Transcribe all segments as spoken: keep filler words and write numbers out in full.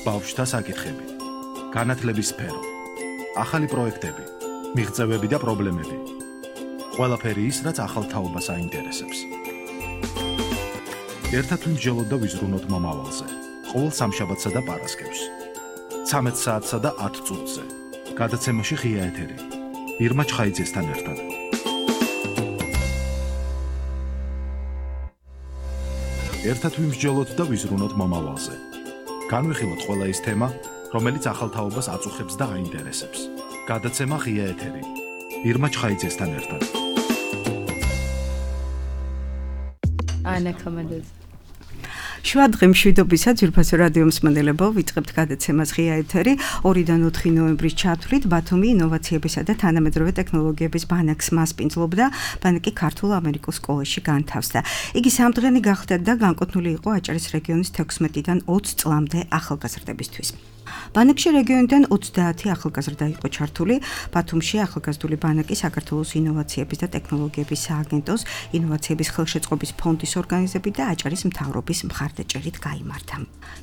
ბავშვთა საკითხები, განათლების სფერო, ახალი პროექტები, მიღწევები და პრობლემები. ყველაფერი ის, რაც ახალ თაობას აინტერესებს. ერთად ვიმსჯელოთ და ვიზრუნოთ მომავალზე. ყოველ სამშაბათსა და პარასკევს. ცამეტ საათსა და ათ წუთზე. გადაცემაში ღია ეთერი. ირმა ჩხაიძესთან ერთად. ერთად ვიმსჯელოთ და ვიზრუნოთ მომავალზე. განვიხილოთ ყველა ის თემა, რომელიც ახალ თაობას აწუხებს და აინტერესებს. გადაცემა ღია ეთერი. ირმა ჩხაიძესთან ერთად. ანა კომანდაზე. შუადღე მშვიდობისა ძვირფასო რადიო მსმენელებო, ვიწყებთ გადაცემას ღია ეთერი. ორიდან ოთხი ნოემბრის ჩათვლით ბათუმი ინოვაციებისა და თანამედროვე ტექნოლოგიების ბანაკს მასპინძლობდა, ბანაკი ქართულ-ამერიკულ სკოლაში განთავსდა. იგი სამდღიანი გახდა და განკუთვნილი იყო აჭარის რეგიონის თექვსმეტიდან ოცი წლამდე ახალგაზრდებისთვის. ბანაკში რეგიონიდან ოცდაათი ახალგაზრდა იყო ჩართული. ბათუმში ახალგაზრდული ბანაკი საქართველოს ინოვაციების და ტექნოლოგიების სააგენტოს, ინოვაციების ხელშეწყობის ფონდის ორგანიზებით და აჭარის მთავრობის მხარდაჭერით გაიმართა.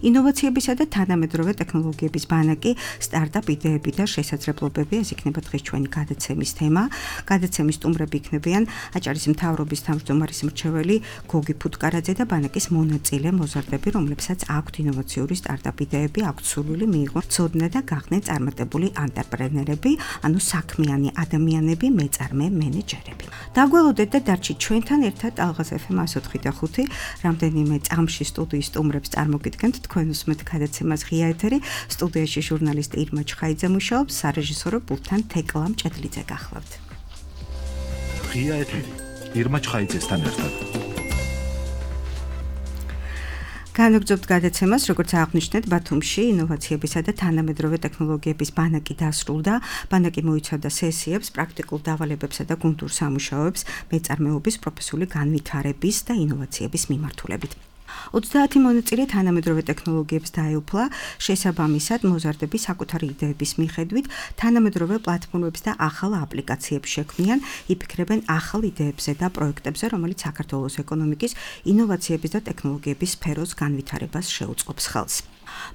ინოვაციებისა და თანამედროვე ტექნოლოგიების ბანაკი, სტარტაპ იდეები და შესაძლებლობები, ეს იქნება დღეს ჩვენი გადაცემის თემა. გადაცემის სტუმრები იქნებიან აჭარის მთავრობის თავმჯდომარის მრჩეველი გოგი ფუტკარაძე და ბანაკის მონაწილე მოზარდები, რომლებსაც აქვთ ინოვაციური სტარტაპ იდეები, აქვთ სურვილი მიიღონ ცოდნა და გახდნენ წარმატებული ანტრეპრენერები, ანუ საქმიანი ადამიანები, მეწარმე მენეჯერები. დაგველოდეთ და დარჩით ჩვენთან ერთად ალღას ეფ ემ εκατო ოთხი და ხუთი. რამდენიმე წამში სტუდიის სტუმრებს წარმოგიდგენთ, თქვენ უსმენთ გადაცემას ღია ეთერი. სტუდიაში ჟურნალისტი ირმა ჩხაიძე მუშაობს, სარეჟისორო პულტთან თეკლა მჭედლიძე გახლავთ. ღია ეთერი. ირმა ჩხაიძესთან ერთად. განვაგრძობთ გადაცემას, როგორც აღნიშნეთ, ბათუმში ინოვაციებისა და თანამედროვე ტექნოლოგიების ბანაკი დასრულდა. ბანაკი მოიცავდა სესიებს, პრაქტიკულ დავალებებსა და გუნდურ სამუშაოებს, მეწარმეობის პროფესიული განვითარების და ინოვაციების მიმართულებით. ოცდაათი მონაწილე თანამედროვე ტექნოლოგიებს დაეუფლა, შესაბამისად მოზარდები საკუთარი იდეების მიხედვით თანამედროვე პლატფორმებს და ახალ აპლიკაციებს შექმნიან, იფიქრებენ ახალ იდეებზე და პროექტებზე, რომელიც საქართველოს ეკონომიკის, ინოვაციების და ტექნოლოგიების სფეროს განვითარებას შეუწყობს ხელს.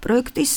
პროექტის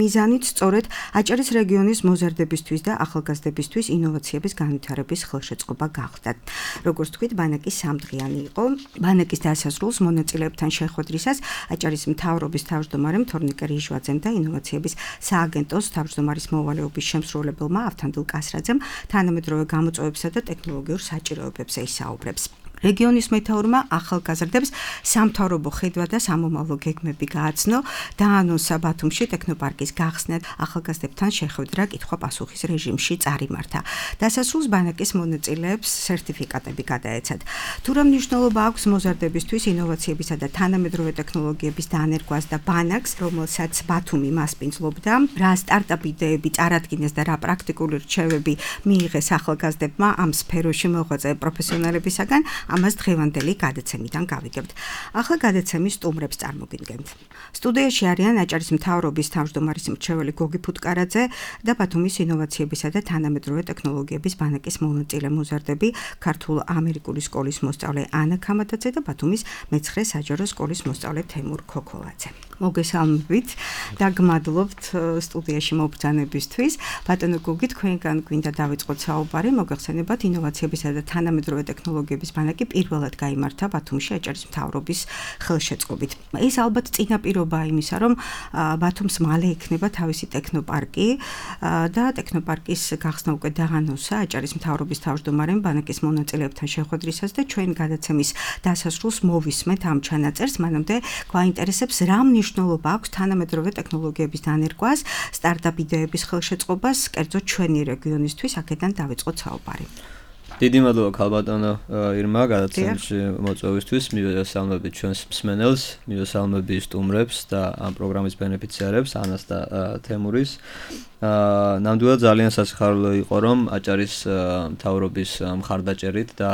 მიზანით სწორედ აჭარის რეგიონის მოზარდებისთვის და ახალგაზრდებისთვის ინოვაციების განვითარების ხელშეწყობა გახდათ. როგორც თქვით, ბანაკი სამდღიანი იყო. ბანაკის დასასრულს მონაწილეებთან შეხვედრისას აჭარის მთავრობის თავმჯდომარემ თორნიკე რიჟვაძემ და ინოვაციების სააგენტოს თავმჯდომარის მოვალეობის შემსრულებელმა ავთანდილ კასრაძემ თანამედროვე გამოწვევებსა და ტექნოლოგიურ საჭიროებებზე ისაუბრებს. რეგიონის მეთაურმა ახალგაზრდებს სამთავრობო ხედვა და სამომავლო გეგმები გააცნო, დაანონსა ბათუმში ტექნოპარკის გახსნა, ახალგაზრდებთან შეხვედრა კითხვა-პასუხის რეჟიმში წარიმართა. დასასრულს ბანაკის მონაწილეებს სერტიფიკატები გადაეცათ. თუ რა მნიშვნელობა აქვს მოზარდებისთვის ინოვაციებისა და თანამედროვე ტექნოლოგიების დანერგვას და ბანაკს, რომელსაც ბათუმი მასპინძლობდა, რა სტარტაპ იდეები წარადგინეს და რა პრაქტიკული რჩევები მიიღეს ახალგაზრდებმა ამ სფეროში მოღვაწე პროფესიონალებისაგან, ამას დღევანდელი გადაცემიდან გავიგებთ. ახლა გადაცემის სტუმრებს წარმოგიდგენთ. სტუდიაში არიან აჭარის მთავრობის თავმჯდომარის მრჩეველი გოგი ფუტკარაძე და ბათუმის ინოვაციებისა და თანამედროვე ტექნოლოგიების ბანაკის მონაწილე მოზარდები, ქართულ-ამერიკული სკოლის მოსწავლე ანა ქამათაძე და ბათუმის მეცხრე საჯარო სკოლის მოსწავლე თემურ ქოქოლაძე. მოგესალმებით და გმადლობთ სტუდიაში მობრძანებისთვის. ბატონო გოგი, თქვენგან გვინდა დავიწყოთ საუბარი, მოგეხსენებათ ინოვაციებისა და თანამედროვე ტექნოლოგიების ბანაკი პირველად გაიმართა ბათუმში აჭარის მთავრობის ხელშეწყობით. ეს ალბათ წინაპირობაა იმისა, რომ ბათუმს მალე იქნება თავისი ტექნოპარკი და ტექნოპარკის გახსნა უკვე დაანონსა აჭარის მთავრობის თავმჯდომარემ ბანაკის მონაწილეებთან შეხვედრისას და ჩვენ გადაცემის დასასრულს მოვისმენთ ამ ჩანაწერს, მანამდე გვაინტერესებს რა მნიშვნელობა აქვს თანამედროვე ტექნოლოგიების დანერგვას, სტარტაპ იდეების ხელშეწყობას, კერძოდ ჩვენი რეგიონისთვის, აქედან დავიწყოთ საუბარი. დიდი მადლობა ქალბატონო ირმა გადაცემაში მოწვევისთვის, მივესალმებით ჩვენს მსმენელს, მივესალმებით სტუმრებს და ამ პროგრამის ბენეფიციარებს, ანას და თემურის. აა ნამდვილად ძალიან სასიხარულო იყო რომ აჭარის მთავრობის მხარდაჭერით და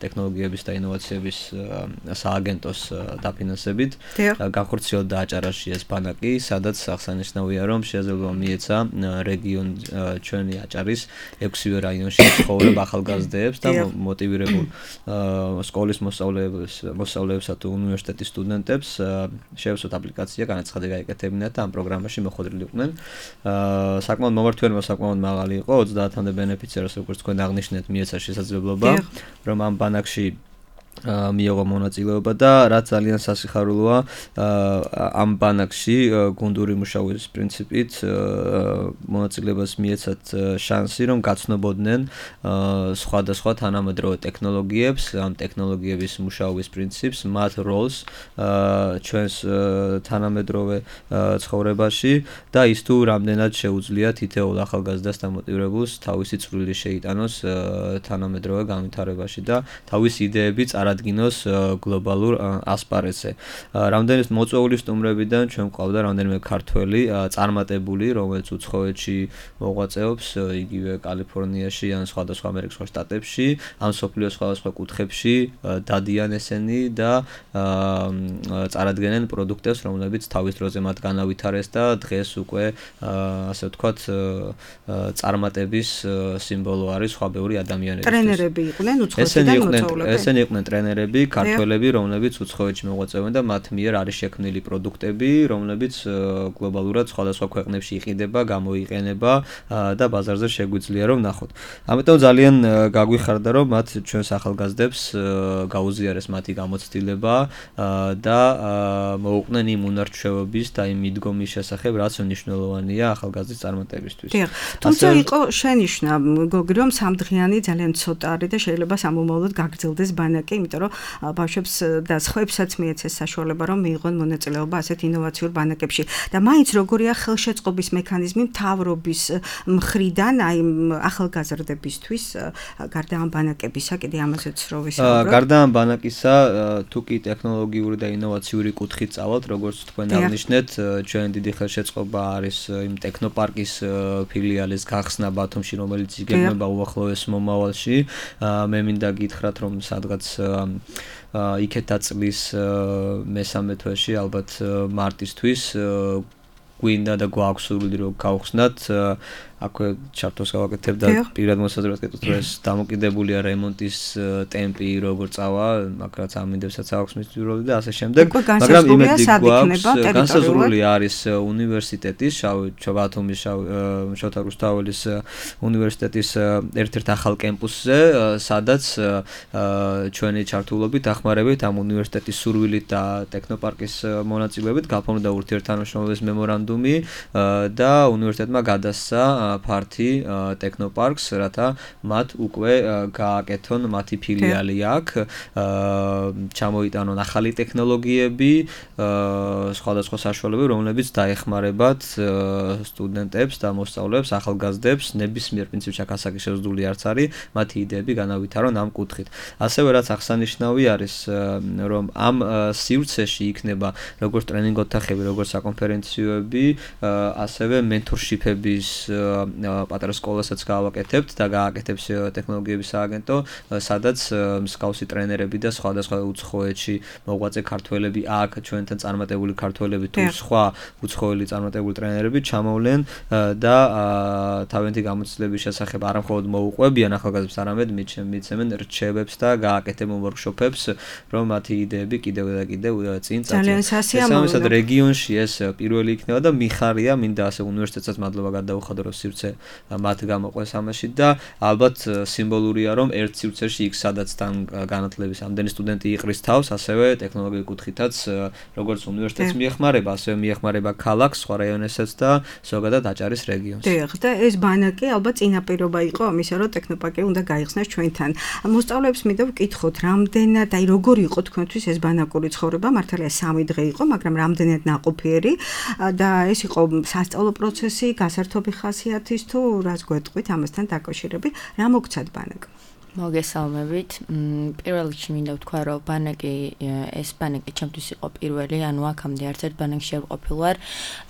ტექნოლოგიების და ინოვაციების სააგენტოს დაფინანსებით განხორციელდა აჭარაში ეს ბანაკი, სადაც აღსანიშნავია რომ შესაძლოა მიეცა რეგიონ ჩვენი აჭარის ექვსივე რაიონში ცხოვრებ ახალგაზრდებს და მოტივირებულ სკოლის მოსწავლეებს, მოსწავლეებსა თუ უნივერსიტეტის სტუდენტებს შეეცვათ აპლიკაცია, განაცხადი გაეკეთებინათ და ამ პროგრამაში მოხვედრილიყვნენ. საკმაოდ მომართველი, საკმაოდ მაღალი იყო, ოცდაათამდე ბენეფიციარს, როგორც თქვენ აღნიშნეთ, მიეცა შესაძლებლობა, რომ ამ ბანაკში მიიღო მონაწილეობა და რაც ძალიან სასიხარულოა ამ ბანაკში გუნდური მუშაობის პრინციპით მონაწილეობას მიეცათ შანსი რომ გაცნობოდნენ სხვადასხვა თანამედროვე ტექნოლოგიებს, ამ ტექნოლოგიების მუშაობის პრინციპს, მათ როლს ჩვენს თანამედროვე ცხოვრებაში და ის თუ რამდენად შეუძლია თითოეულ ახალგაზრდას დამოტივირებულს თავისი წვლილი შეიტანოს თანამედროვე განვითარებაში და თავისი იდეები ადგინოს გლობალურ ასპარეზზე. რამდენიმე მოწვეული სტუმრებიდან ჩვენ გვყავდა რამდენიმე ქართველი წარმატებული, რომელიც უცხოეთში მოღვაწეობს, იგივე კალიფორნიაში ან სხვადასხვა ამერიკის შტატებში, ამ სოფლიოს სხვადასხვა კუთხებში დადიან ესენი და წარადგენენ პროდუქტებს, რომლებიც თავის დროზე მათ განავითარეს და დღეს უკვე ასე ვთქვათ წარმატების სიმბოლო არის სხვა ბევრი ადამიანებისთვის. ტრენერები იყვნენ უცხოეთიდან მოწვეულები. ესენი იყვნენ ტრენერები, ქართველები, რომლებიც უცხოეთში მოღვაწეობენ და მათ მიერ არის შექმნილი პროდუქტები, რომლებიც გლობალურად სხვადასხვა ქვეყნებში იყიდება, გამოიყენება და ბაზარზე შეგვიძლია რომ ნახოთ. ამიტომ ძალიან გაგვიხარდა რომ მათ ჩვენს ახალგაზრდებს გაუზიარეს მათი გამოცდილება და მოუყვნენ იმ უნარჩვევების და იმ მიდგომის შესახებ, რაც მნიშვნელოვანია ახალგაზრდის წარმატებისთვის. თუმცა იყო შენიშვნა, გოგი, რომ სამდღიანი ძალიან ცოტა არის და შეიძლება სამომავლოდ გაგრძელდეს ბანაკი, იმიტომ რომ ბავშვებს და სხვებსაც მიეცეს საშუალება რომ მიიღონ მონაწილეობა ასეთ ინოვაციურ ბანაკებში. და მაინც როგორია ხელშეწყობის მექანიზმი მთავრობის მხრიდან აი ახალგაზრდებისთვის გარდა ამ ბანაკებისა, კიდე ამაზეც რო ვისაუბროთ. გარდა ამ ბანაკისა, თუ კი ტექნოლოგიური და ინოვაციური კუთხით წავალთ, როგორც თქვენ აღნიშნეთ, ჩვენ დიდი ხელშეწყობა არის იმ ტექნოპარკის ფილიალის გახსნა ბათუმში, რომელიც იგეგმება უახლოეს მომავალში. მე მინდა გითხრათ რომ სადღაც იქეთ დაწლის მესამე თვეში, ალბათ მარტისთვის გვინდა და გვაქვს სურვილი რომ გავხსნათ აქვე ჩარტოს გავაკეთებ და პირად მოსაზრებას გეტყვით რომ ეს დამოკიდებულია რემონტის ტემპი როგორ წავა, მაგრამ ამინდებსაც აქვს მისი როლი და ასე შემდეგ. მაგრამ იმედი გვაქვს, განსაზღვრული არის უნივერსიტეტის, ბათუმის შოთა რუსთაველის უნივერსიტეტის ერთ-ერთ ახალ კემპუსზე, სადაც ჩვენი ჩართულობით დახმარებით ამ უნივერსიტეტის სურვილით და ტექნოპარკის მონაწილეობით გაფორმდა ურთიერთთანამშრომლობის მემორანდუმი და უნივერსიტეტმა გადასცა ფართი ტექნოპარკს, რათა მათ უკვე გააკეთონ მათი ფილიალი აქ, ჩამოიტანონ ახალი ტექნოლოგიები, სხვადასხვა საშუალებები, რომლებიც დაეხმარებათ სტუდენტებს და მოსწავლეებს, ახალგაზრდებს, ნებისმიერ პრინციპში აქ ასაკი შეზღუდული არც არის, მათი იდეები განავითარონ ამ კუთხით. ასევე რაც აღსანიშნავი არის, რომ ამ სივრცეში იქნება როგორც ტრენინგ ოთახები, როგორც საკონფერენციოები, ასევე mentorship-ების პატარა სკოლასაც გავაკეთებთ და გააკეთებს ტექნოლოგიების სააგენტო, სადაც მსგავსი ტრენერები და სხვადასხვა უცხოეთში მოღვაწე ქართველები აქ ჩვენთან წარმატებული ქართველები თუ სხვა უცხოელი წარმატებული ტრენერები ჩამოვლენ და თავიანთი გამოცდილების შესახებ არა მხოლოდ მოუყვებიან ახალგაზრდებს, არამედ მიცემენ რჩევებს და გააკეთებენ ვორქშოპებს, რომ მათი იდეები კიდევ და კიდევ წინ წაწინ. ძალიან სასიამოვნოა. რეგიონში ეს პირველი იქნება და მიხარია, მინდა ასე უნივერსიტეტსაც მადლობა გადაუხადო რომ სივრცე მათ გამოყვეს ამაში და ალბათ სიმბოლურია რომ ერთ სივრცეში იქ სადაც თან განათლების ამდენი სტუდენტი იყრის თავს, ასევე ტექნოლოგიურ კუთხითაც როგორც უნივერსიტეტს მიეხმარება, ასევე მიეხმარება ქალაქს, სხვა რაიონებსაც და ზოგადად აჭარის რეგიონს. დიახ, და ეს ბანაკი ალბათ წინაპირობა იყო ამისა, რომ ტექნოპარკი უნდა გაიხსნას ჩვენთან. მოსწავლეებს მინდა ვკითხოთ, რამდენად, აი როგორი იყო თქვენთვის ეს ბანაკური ცხოვრება? მართალია სამი დღე იყო, მაგრამ რამდენად ნაყოფიერი და ეს იყო სასწავლო პროცესი, გასართობი ხასიათის თუ რას გვეტყვით ამასთან დაკავშირებით, რა მოგცათ ბანაკ? მოგესალმებით. პირველ რიგში მინდა ვთქვა, რომ ბანაკი ეს ბანაკი ჩემთვის იყო პირველი, ანუ აქამდე არც ერთ ბანაკში არ ყოფილვარ.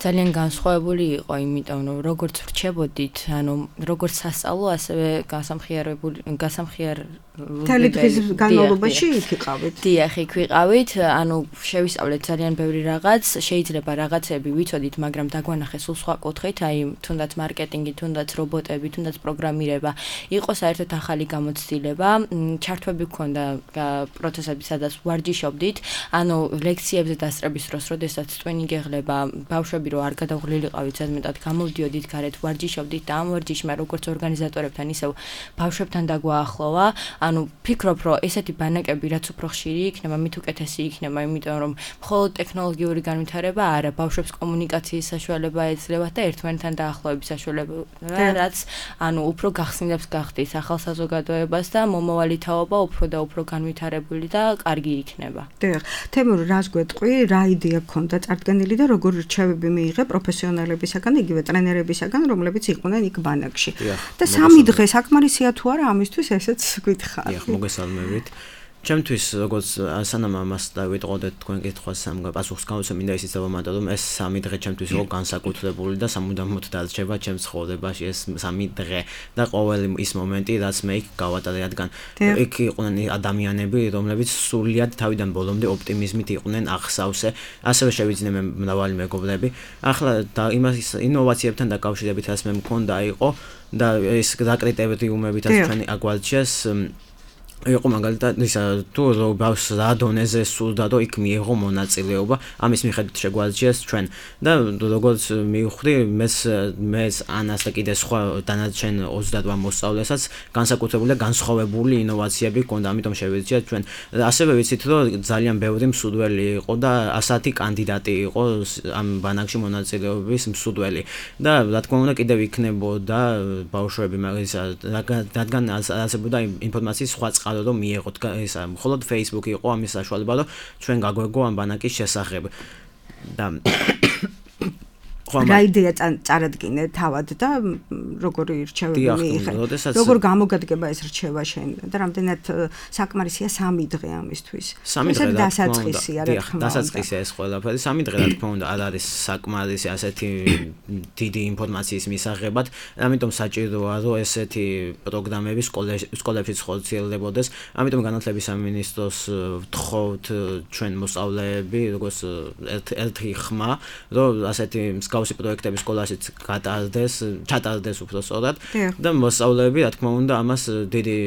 ძალიან განსხვავებული იყო, იმიტომ რომ როგორც ვრჩებოდით, ანუ როგორც სასწავლო, ასევე გასამხიარებული გასამხიარებელი თელი დღის განმავლობაში იქ იყავით. დიახ, იქ ვიყავით, ანუ შევისწავლეთ ძალიან ბევრი რაღაც, შეიძლება რაღაცები ვიცოდით, მაგრამ დაგვანახეს სულ სხვა კუთხით, აი თუნდაც მარკეტინგი, თუნდაც რობოტები, თუნდაც პროგრამირება, იყო საერთოდ ახალი გამოცდილება, ჩართვები გქონდა პროცესები, სადაც ვარჯიშობდით, ანუ ლექციებზე დასწრების დროს, როდესაც წვენი გეღლება, ბავშვები რო არ გადაღვლილიყავით, ზედმეტად გამოვდიოდით გარეთ, ვარჯიშობდით და ამ ვარჯიშმა როგორც ორგანიზატორებთან, ისევ ბავშვებთან დაგვაახლოვა. ანუ ფიქრობ, რომ ესეთი ბანაკები რაც უფრო ხშირი იქნება, მით უკეთესი იქნება, იმიტომ რომ მხოლოდ ტექნოლოგიური განვითარება არა, ბავშვებს კომუნიკაციის საშუალება ეძლევათ და ერთმანეთთან დაახლოების საშუალება, რაც ანუ უფრო გახსნილებს გახდით ახალ საზოგადოებას და მომავალი თაობა უფრო და უფრო განვითარებული და კარგი იქნება. დიახ, თემურ, რას გვეტყვი, რა იდეა გქონდა წარდგენილი და როგორ რჩევები მიიღე პროფესიონალებისაგან, იგივე ტრენერებისაგან, რომლებიც იყვნენ იქ ბანაკში. და სამი დღე საკმარისია თუ არა ამისთვის, ესეც გითხარ. დიახ, მოგესალმებით. ჩემთვის როგორც სანამ ამას დავიტყოდეთ თქვენ კითხვას სამ პასუხს გავუსვა, მინდა ისიც დავამატო, რომ ეს სამი დღე ჩემთვის იყო განსაკუთრებული და სამუდამოდ დარჩება ჩემს ცხოვრებაში ეს სამი დღე და ყოველი ის მომენტი, რაც მე იქ გავატარე, რადგან იქ იყვნენ ადამიანები, რომლებიც სრულიად თავიდან ბოლომდე ოპტიმიზმით იყვნენ აღსავსე, ასევე შევიძინე მე მრავალი მეგობრები. ახლა და იმას ინოვაციებთან დაკავშირებით, რაც მე მქონდა იყო და ეს საკრიტერიუმებითაც ჩვენი აგვარჩიეს იყო მაგალითად ისა თუ ბავშვს რა დონეზე სურდა რომ იქ მიიღო მონაწილეობა, ამის მიხედვით შეგვარჩიეს ჩვენ და როგორც მივხვდი მეც მეც ანას და კიდე სხვა დანარჩენ ოცდაოთხ მოსწავლესაც განსაკუთრებული და განსხვავებული ინოვაციები ჰქონდა, ამიტომ შევეძიათ ჩვენ. ასევე ვიცით რომ ძალიან ბევრი მსურველი იყო და ასეთი კანდიდატი იყო ამ ბანაკში მონაწილეობის მსურველი და რა თქმა უნდა კიდევ იქნებოდა ბავშვები, მაგრამ რადგან არსებობდა ინფორმაციის სხვა რომ მიიღოთ ისა მხოლოდ Facebook იყო ამის საშუალება რომ ჩვენ გაგვეგო ამ ბანაკის შესახებ და რა იდეა წარადგინე თავად და როგორი რჩევები მიიღე, როგორ გამოგადგება ეს რჩევა შენ და რამდენად საკმარისია სამი დღე ამისთვის. ესეთ დასაწყისია, რა თქმა უნდა. დასაწყისია ეს ყველაფერი, სამი დღე რა თქმა უნდა არ არის საკმარისი ასეთი დიდი ინფორმაციის მისაღებად, ამიტომ საჭიროა რომ ესეთი პროგრამები სკოლებში ხორციელდებოდეს, ამიტომ განათლების სამინისტროს ვთხოვთ ჩვენ მოსწავლეები, როგორც ერთი ხმა, რომ ასეთი გავსი პროექტები სკოლაშიც გატარდეს, ჩატარდეს უფრო სწორად და მოსწავლეები, რა თქმა უნდა, ამას დიდი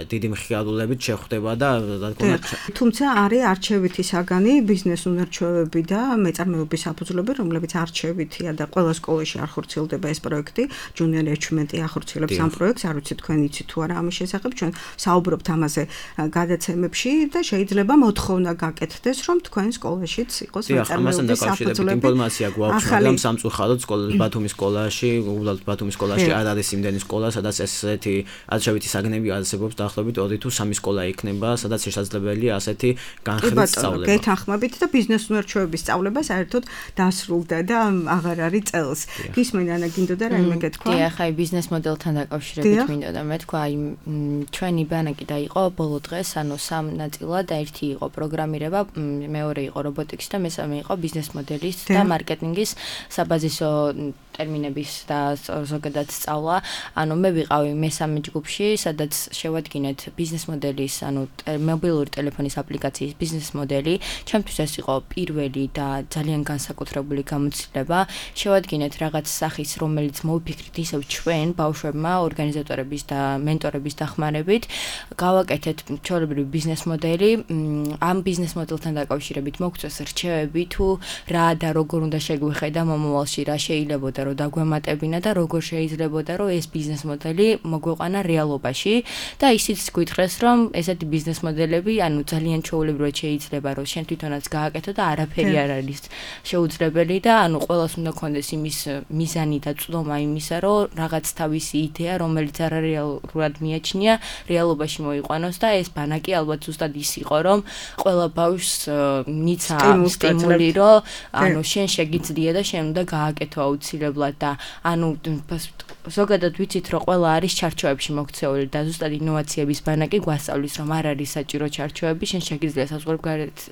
დიდი მხიარულებით შეხვდება და რა თქმა უნდა, თუმცა არის არჩევითი საგანი, ბიზნეს უნარჩვევები და მეწარმეობის საფუძვლები, რომლებიც არჩევითია და ყველა სკოლაში არ ხორციელდება ეს პროექტი, ჯუნიორ ეჩმენტი ახორციელებს ამ პროექტს, არ ვიცი თქვენ იცით თუ არა ამის შესახებ, ჩვენ საუბრობთ ამაზე გადაცემებში და შეიძლება მოთხოვნა გაკეთდეს, რომ თქვენ სკოლაშიც იყოს მეწარმეობის საფუძვლები. ინფორმაცია გვაქვს, მაგრამ სამწუხაროდ სკოლა ბათუმის სკოლაში, უბრალოდ ბათუმის სკოლაში არ არის იმდენი სკოლა, სადაც ესეთი არჩევითი საგნები არსებობს, დაახლოებით ორი თუ სამი სკოლა იქნება, სადაც შესაძლებელია ასეთი განხრით სწავლება. გეთანხმებით და ბიზნეს უნარჩვევების სწავლება საერთოდ დასრულდა და აღარ არის წელს. გისმენ ანა გინდოდა რაიმე გეთქვა? დიახ, აი ბიზნეს მოდელთან დაკავშირებით მინდოდა მეთქვა, აი ჩვენი ბანაკი დაიყო ბოლო დღეს, ანუ სამ ნაწილად, ერთი იყო პროგრამირება, მეორე იყო რობოტიკის და მესამე იყო ბიზნეს მოდელის და მარკეტინგის საბაზისო ტერმინების და ზოგადად სწავლა. ანუ მე ვიყავი მესამე ჯგუფში, სადაც შევადგინეთ ბიზნეს მოდელის, ანუ მობილური ტელეფონის აპლიკაციის ბიზნეს მოდელი. ჩემთვის ეს იყო პირველი და ძალიან განსაკუთრებული გამოცდილება. შევადგინეთ რაღაც სახის, რომელიც მოვიფიქრით ისევ ჩვენ ბავშვებმა, ორგანიზატორების და მენტორების დახმარებით, გავაკეთეთ ჩვეულებრივი ბიზნეს მოდელი. ამ ბიზნეს მოდელთან დაკავშირებით მოგწეს რჩევები თუ რა და როგორ უნდა შეგვიხედა მომავალში, რა შეიძლებოდა რომ დაგვემატებინა და როგორ შეიძლებოდა რომ ეს ბიზნეს მოდელი მოგვეყვანა რეალობაში და ისიც გითხრეს რომ ესეთი ბიზნეს მოდელები ანუ ძალიან ჩვეულებრივად შეიძლება რომ შენ თვითონაც გააკეთო და არაფერი არ არის შეუძლებელი და ანუ ყველას უნდა კონდეს იმის მიზანი და წვდომა იმისა რომ რაღაც თავისი იდეა რომელიც არარეალურად მიაჩნია რეალობაში მოიყვანოს და ეს ბანაკი ალბათ ზუსტად ის იყო რომ ყველა ბავშვს მიცა სტიმული რომ ანუ შენ შეგიძლია და შენ უნდა გააკეთო აუცილებლად მასშტაბებლად და ანუ ზოგადად ვიცით რომ ყველა არის ჩარჩოებში მოქცეული და ზუსტად ინოვაციების ბანაკი გვასწავლის რომ არ არის საჭირო ჩარჩოები, შენ შეგიძლია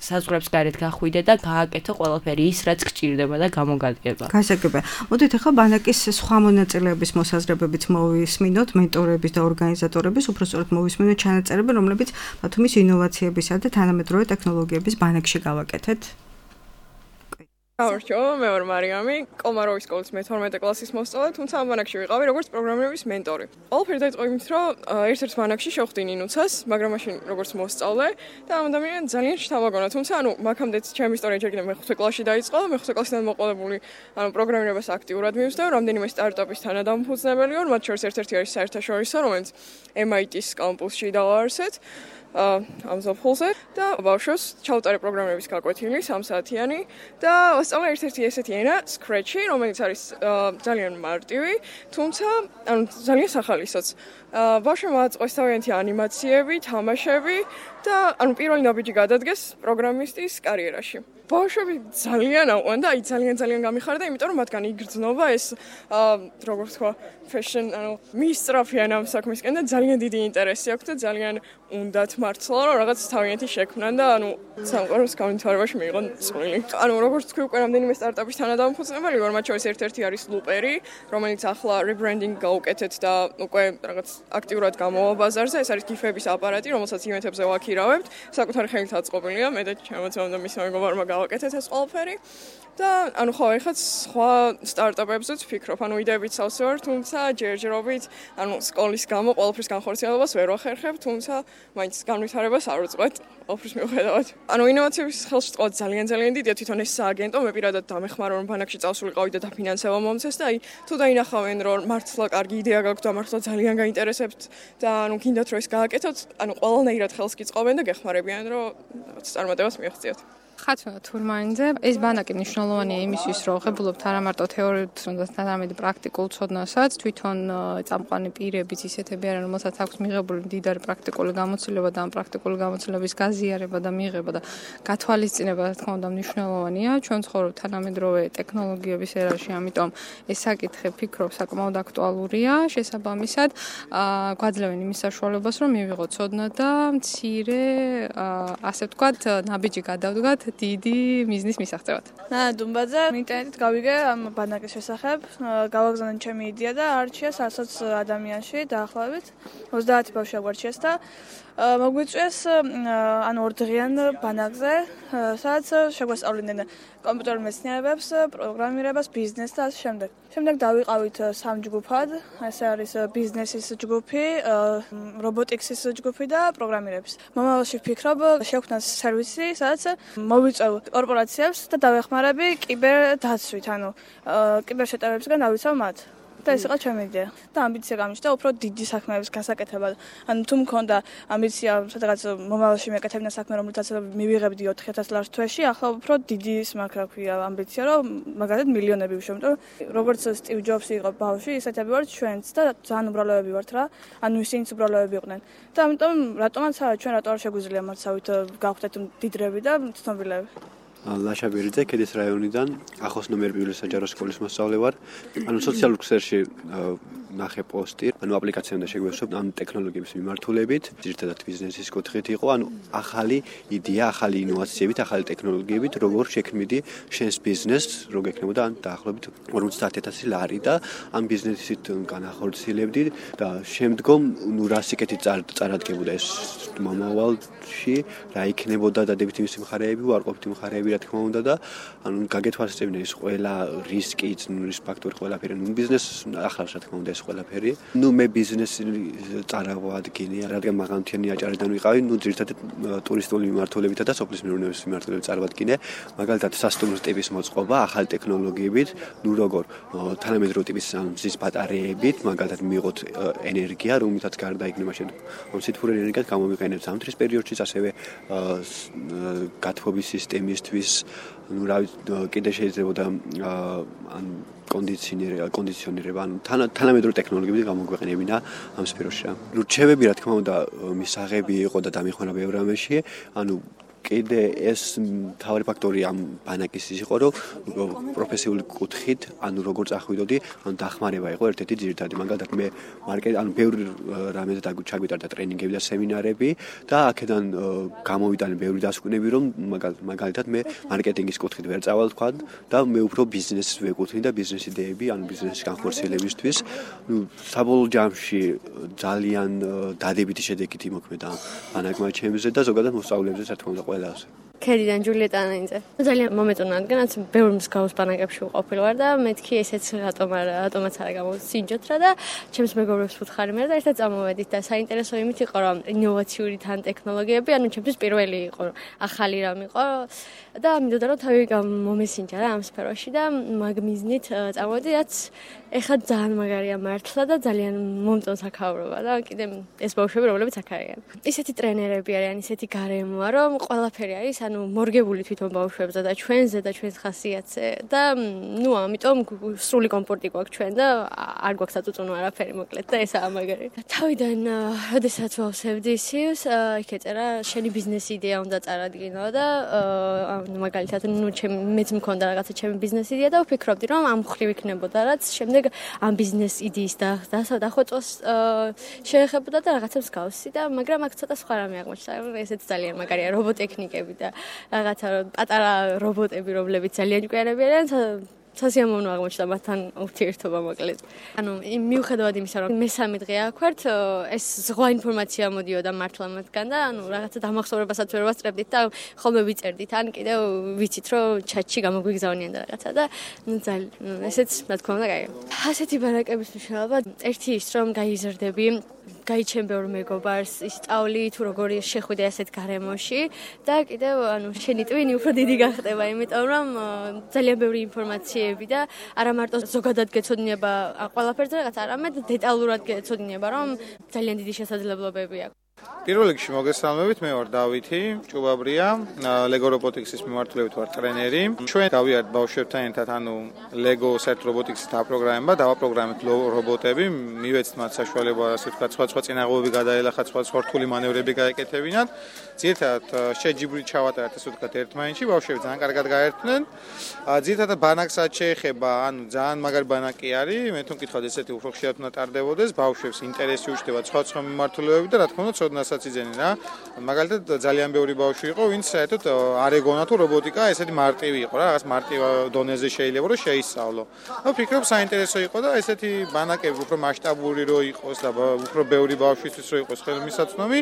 საზღვრებს გარეთ გახვიდე და გააკეთო ყველაფერი ის რაც გჭირდება და გამოგადგება. გასაგებია. მოდით ახლა ბანაკის სხვა მონაწილეების მოსაზრებებიც მოვისმინოთ, მენტორების და ორგანიზატორების, უბრალოდ მოვისმინოთ ჩანაწერები, რომლებიც ბათუმის ინოვაციებისა და თანამედროვე ტექნოლოგიების ბანაკში გავაკეთეთ. გამარჯობა, მე ვარ მარიამი, კომაროვის სკოლის მეთორმეტე კლასის მოსწავლე, თუმცა ამ ბანაკში ვიყავი როგორც პროგრამირების მენტორი. ყველაფერი დაიწყო იმით, რომ ერთ-ერთ ბანაკში შევხვდი ნინუცას, მაგრამ მაშინ როგორც მოსწავლე და ამ ადამიანს ძალიან შთამაგონა, თუმცა ანუ მაგამდეც ჩემი ისტორია ჯერ კიდევ მეხუთე კლასში დაიწყო, მეხუთე კლასიდან მოყოლებული, ანუ პროგრამირებას აქტიურად მივსდევ, რამდენიმე სტარტაპის თანადამფუძნებელი ვარ, მათ შორის ერთ-ერთი არის საერთაშორისო, რომელიც ემ აი ტის კამპუსში დავაარსეთ. ამ ზაფხულზე და ბავშვებს ჩავუტარე პროგრამირების გაკვეთილი სამ საათიანი და ვასწავლე ერთ-ერთი ესეთი ენა Scratch-ი, რომელიც არის ძალიან მარტივი, თუმცა ანუ ძალიან სახალისოც. ბავშვებმა აწყოს თავიანთი ანიმაციები, თამაშები და ანუ პირველი ნაბიჯი გადადგეს პროგრამისტის კარიერაში. ბავშვები ძალიან აყვან და აი ძალიან ძალიან გამიხარდა, იმიტომ რომ მათგან იგრძნობა ეს როგორ ვთქვა, fashion, ანუ მისწრაფიან ამ საქმისკენ და ძალიან დიდი ინტერესი აქვს და ძალიან უნდათ მართლა რომ რაღაც თავიანთი შექმნან და ანუ სამყაროს განვითარებაში მიიღონ წვლილი. ანუ როგორც თქვი უკვე რამდენიმე სტარტაპის თანადამფუძნებელი ვარ, მათ შორის ერთ-ერთი არის ლუპერი, რომელიც ახლა rebranding გაუკეთეთ და უკვე რაღაც აქტიურად გამოვა ბაზარზე. ეს არის გიფების აპარატი, რომელსაც ივენთებზე ვაქირავებთ. საკუთარი ხელით აწყობილია, მე და ჩემოცემ და მისმა მეგობარმა გავაკეთეთ ეს ყველაფერი. და ანუ ხო, ეხლა სხვა სტარტაპებზეც ვფიქრობ, ანუ იდეებით სავსე ვარ, თუმცა ჯერჯერობით, ანუ სკოლის გამო ყველაფრის განხორციელებას ვერ ვახერხებ, თუმცა მაინც განვითარებას არ ვწყვეტ, ყველაფრის მიუხედავად. ანუ ინოვაციების ხელში წყვეტ ძალიან ძალიან დიდია, თვითონ ეს სააგენტო, მე პირადად დამეხმარა რომ ბანაკში წავსულიყავი და დაფინანსება მომცეს და აი თუ დაინახავენ რომ მართლა კარგი იდეა გაქვთ და მართლა ძალიან გაინტერესებთ და ანუ გინდათ რომ ეს გააკეთოთ, ანუ ყველანაირად ხელს გიწყობენ და გეხმარებიან რომ რაღაც წარმატებას მიაღწიოთ. ხათუნა თურმანიძე, ეს ბანაკი მნიშვნელოვანია იმისთვის, რომ ღებულობთ არა მარტო თეორიულ ცოდნას, არამედ პრაქტიკულ ცოდნასაც. თვითონ წამყვანი პირებიც ისეთები არიან, რომელსაც აქვს მიღებული მდიდარი პრაქტიკული გამოცდილება და ამ პრაქტიკული გამოცდილების გაზიარება და მიღება და გათვალისწინება, რა თქმა უნდა, მნიშვნელოვანია. ჩვენ ცხოვრობთ თანამედროვე ტექნოლოგიების ერაში, ამიტომ ეს საკითხი ფიქრობ საკმაოდ აქტუალურია. შესაბამისად, გვაძლევენ იმის საშუალებას, რომ მივიღოთ ცოდნა და მცირე, ასე ვთქვათ, ნაბიჯი გადავდგათ დიდი მიზნის მისაღწევად. ნანა დუმბაძე, ინტერნეტით გავიგე ამ ბანაკის შესახებ, გავაგზავნე ჩემი იდეა და არჩიეს არცოც ადამიანში დაახლოებით ოცდაათი ბავშვი აგვარჩიეს და მოგვიწვიეს ანუ ორდღიან ბანაკზე, სადაც შეგვასწავლიდნენ კომპიუტერულ მეცნიერებებს, პროგრამირებას, ბიზნესს და ასე შემდეგ. შემდეგ დავიყავით სამ ჯგუფად, ესე არის ბიზნესის ჯგუფი, რობოტიკსის ჯგუფი და პროგრამირების. მომავალში ვფიქრობ, შევქმნას სერვისი, სადაც მოვიწევ კორპორაციებს და დავეხმარები კიბერდაცვით, ანუ კიბერშეტევნებისგან დავიცავ მათ. და ეს იყო ჩემი იდეა. და ამბიცია გამიჩნდა უფრო დიდი საქმეების გასაკეთებად. ანუ თუ მქონდა ამბიცია, სადღაც მომავალში მეკეთებინა საქმე, რომელთაც მივიღებდი ოთხი ათას ლარს თვეში, ახლა უფრო დიდი მაგ ქვია ამბიცია, რომ მაგალითად მილიონები ვიშოვ, იმიტომ რომ როგორც სტივ ჯობსი იყო ბავშვი, ისეთები ვართ ჩვენც და ძალიან უბრალოები ვართ რა. ანუ ისინიც უბრალოები იყვნენ. და ამიტომ რატომაც ჩვენ რატო არ შეგვიძლია მათსავით გავხდეთ დიდრები და ცნობილები. ლაშა ბერიძე, ქედის რაიონიდან, ახოს ნომერ პირველი საჯარო სკოლის მოსწავლე ვარ. ანუ სოციალურ ქსელში ნახე პოსტი, ანუ აპლიკაციამდე შეგვესვებ ამ ტექნოლოგიების მიმართულებით, ძირითადად ბიზნესის კუთხით იყო, ანუ ახალი იდეა, ახალი ინოვაციებით, ახალი ტექნოლოგიებით, როგორ შექმნიდი შენს ბიზნესს, რო გექნებოდა ან დაახლოებით ორმოცდაათი ათასი ლარი და ამ ბიზნესით განახორციელებდი და შემდგომ ნუ რა სიკეთით წარადგებოდა ეს მომავალში, რა იქნებოდა დადებითი მისი მხარეები, უარყოფითი მხარეები, რა თქმა უნდა და ანუ გაგეთვალისწინებინა ეს ყველა რისკი, რისკ ფაქტორი ყველაფერი, ნუ ბიზნეს ახლავს რა თქმა უნდა ეს ყველაფერი. ნუ მე ბიზნესი წარავადგინე, რადგან მაღალმთიანი აჭარიდან ვიყავი, ნუ ძირითადად ტურისტული მიმართულებითა და სოფლის მეურნეობის მიმართულებით წარვადგინე. მაგალითად სასტუმრო ტიპის მოწყობა, ახალი ტექნოლოგიებით, ნუ როგორ თანამედროვე ტიპის მზის ბატარეებით, მაგალითად მიიღოთ ენერგია, რომლითაც გარდაიქმნება შემდგომ სითბურ ენერგიას გამომიყენებთ ზამთრის პერიოდშიც, ასევე გათბობის სისტემისთვის, ნუ რა კიდე შეიძლება ან კონდიციონერება, კონდიციონერება, ანუ თანამედროვე ტექნოლოგიები გამოგვეყენებინა ამ სფეროში. ნუ რჩევები, რა თქმა უნდა, მისაღები იყო და დამეხმარა ბევრ რამეში, ანუ კიდე ეს მთავარი ფაქტორი ამ ბანაკის ის იყო, რომ პროფესიული კუთხით, ანუ როგორ წახვიდოდი, ანუ დახმარება იყო ერთ-ერთი ძირითადი. მაგალითად მე მარკეტ, ანუ ბევრი რამეზე ჩაგვიტარდა ტრენინგები და სემინარები და აქედან გამოვიტანე ბევრი დასკვნები, რომ მაგალითად მე მარკეტინგის კუთხით ვერ წავალ თქვა და მე უფრო ბიზნესს ვეკუთვნი და ბიზნეს იდეები, ანუ ბიზნესის განხორციელებისთვის, ნუ საბოლოო ჯამში ძალიან დადებითი შედეგით იმოქმედა ბანაკმა ჩემზე და ზოგადად მოსწავლეებზე რა თქმა უნდა ყველას. ქედიდან ჯულიეტა ანაინძე. ძალიან მომეწონა, რადგანაც ბევრი მსგავს ბანაკებში ვყოფილ ვარ და მეთქი ესეც რატომ არ რატომაც არ გამოვსინჯოთ რა და ჩემს მეგობრებს ვუთხარი მე და ერთად წამოვედით და საინტერესო იმით იყო რომ ინოვაციური თან ტექნოლოგიები, ანუ ჩემთვის პირველი იყო, ახალი რამ იყო და მინდოდა რომ თავი მომესინჯა რა ამ სფეროში და მაგ მიზნით წამოვედი, რაც ეხლა ძალიან მაგარია მართლა და ძალიან მომწონს აქაურობა და კიდე ეს ბავშვები რომლებიც აქ არიან. ისეთი ტრენერები არიან, ისეთი გარემოა რომ ყველაფერი არის ანუ მორგებული თვითონ ბავშვებზე და ჩვენზე და ჩვენს ხასიათზე და ნუ ამიტომ სრული კომფორტი გვაქვს ჩვენ და არ გვაქვს აწუწუნო არაფერი მოკლედ და ესაა მაგარი. თავიდან როდესაც ვავსებდი ისიუს, იქ ეწერა შენი ბიზნეს იდეა უნდა წარადგინო და ანუ მაგალითად ნუ ჩემ მეც მქონდა რაღაცა ჩემი ბიზნეს იდეა და ვფიქრობდი რომ ამ ხრივ იქნებოდა რაც შემდეგ ამ ბიზნეს იდეის და დახვეწვას შეეხებოდა და რაღაცა მსგავსი და მაგრამ აქ ცოტა სხვა რამე აღმოჩნდა. ესეც ძალიან მაგარია რობოტექნიკები და რაღაცა პატარა რობოტები, რომლებიც ძალიან ჭკვიანები არიან, სასიამოვნო აღმოჩნდა მათთან ურთიერთობა მოკლედ. ანუ მიუხედავად იმისა, რომ მესამე დღე აქ ვართ, ეს ზღვა ინფორმაცია მოდიოდა მართლა მათგან და ანუ რაღაცა დამახსოვრებასაც ვერ ვასწრებდით და ხოლმე ვიწერდით, ან კიდევ ვიცით, რომ ჩატში გამოგვიგზავნიან და რაღაცა და ნუ ძალიან ესეც რა თქმა უნდა კაია. ასეთი ბანაკების მნიშვნელობა ერთი ის, რომ გაიზრდები გაიჩენ ბევრ მეგობარს, ისწავლი თუ როგორი შეხვიდე ასეთ გარემოში და კიდევ ანუ შენი ტვინი უფრო დიდი გახდება, იმიტომ რომ ძალიან ბევრი ინფორმაციები და არა მარტო ზოგადად გეცოდინება ყველაფერზე რაღაც, არამედ დეტალურად გეცოდინება, რომ ძალიან დიდი შესაძლებლობები აქვს. პირველ რიგში მოგესალმებით, მე ვარ დავითი ჭუბაბრია, Lego Robotics-ის მიმართულებით ვარ ტრენერი. ჩვენ გავიართ ბავშვებთან ერთად, ანუ Lego Set Robotics-ის დაპროგრამება, დავაპროგრამებთ რობოტები, მივეცთ მათ საშუალება, ასე ვთქვათ, სხვა-სხვა წინაღობები გადაელახათ, სხვა-სხვა რთული მანევრები გაეკეთებინათ. ძირითადად შეჯიბრით ჩავატარეთ, ასე ვთქვათ, ერთმანეთში, ბავშვები ძალიან კარგად გაერთნენ. ძირითადად ბანაკსაც შეეხება, ანუ ძალიან მაგარი ბანაკი არის, მე თვითონ მკითხავთ, ესეთი უფრო ხშირად უნდა ტარდებოდეს, ბავშვებს ინტერესი უჩნდება სხვა-სხვა მიმართულებები და რა თქმა უნდა ცოდნასაც იძენენ რა. მაგალითად ძალიან ბევრი ბავშვი იყო, ვინც საერთოდ არ ეგონა თუ რობოტიკა ესეთი მარტივი იყო რა, რაღაც მარტივ დონეზე შეიძლება რომ შეისწავლო. და ვფიქრობ საინტერესო იყო და ესეთი ბანაკები უფრო მასშტაბური რო იყოს და უფრო ბევრი ბავშვისთვის რო იყოს ხელმისაწვდომი,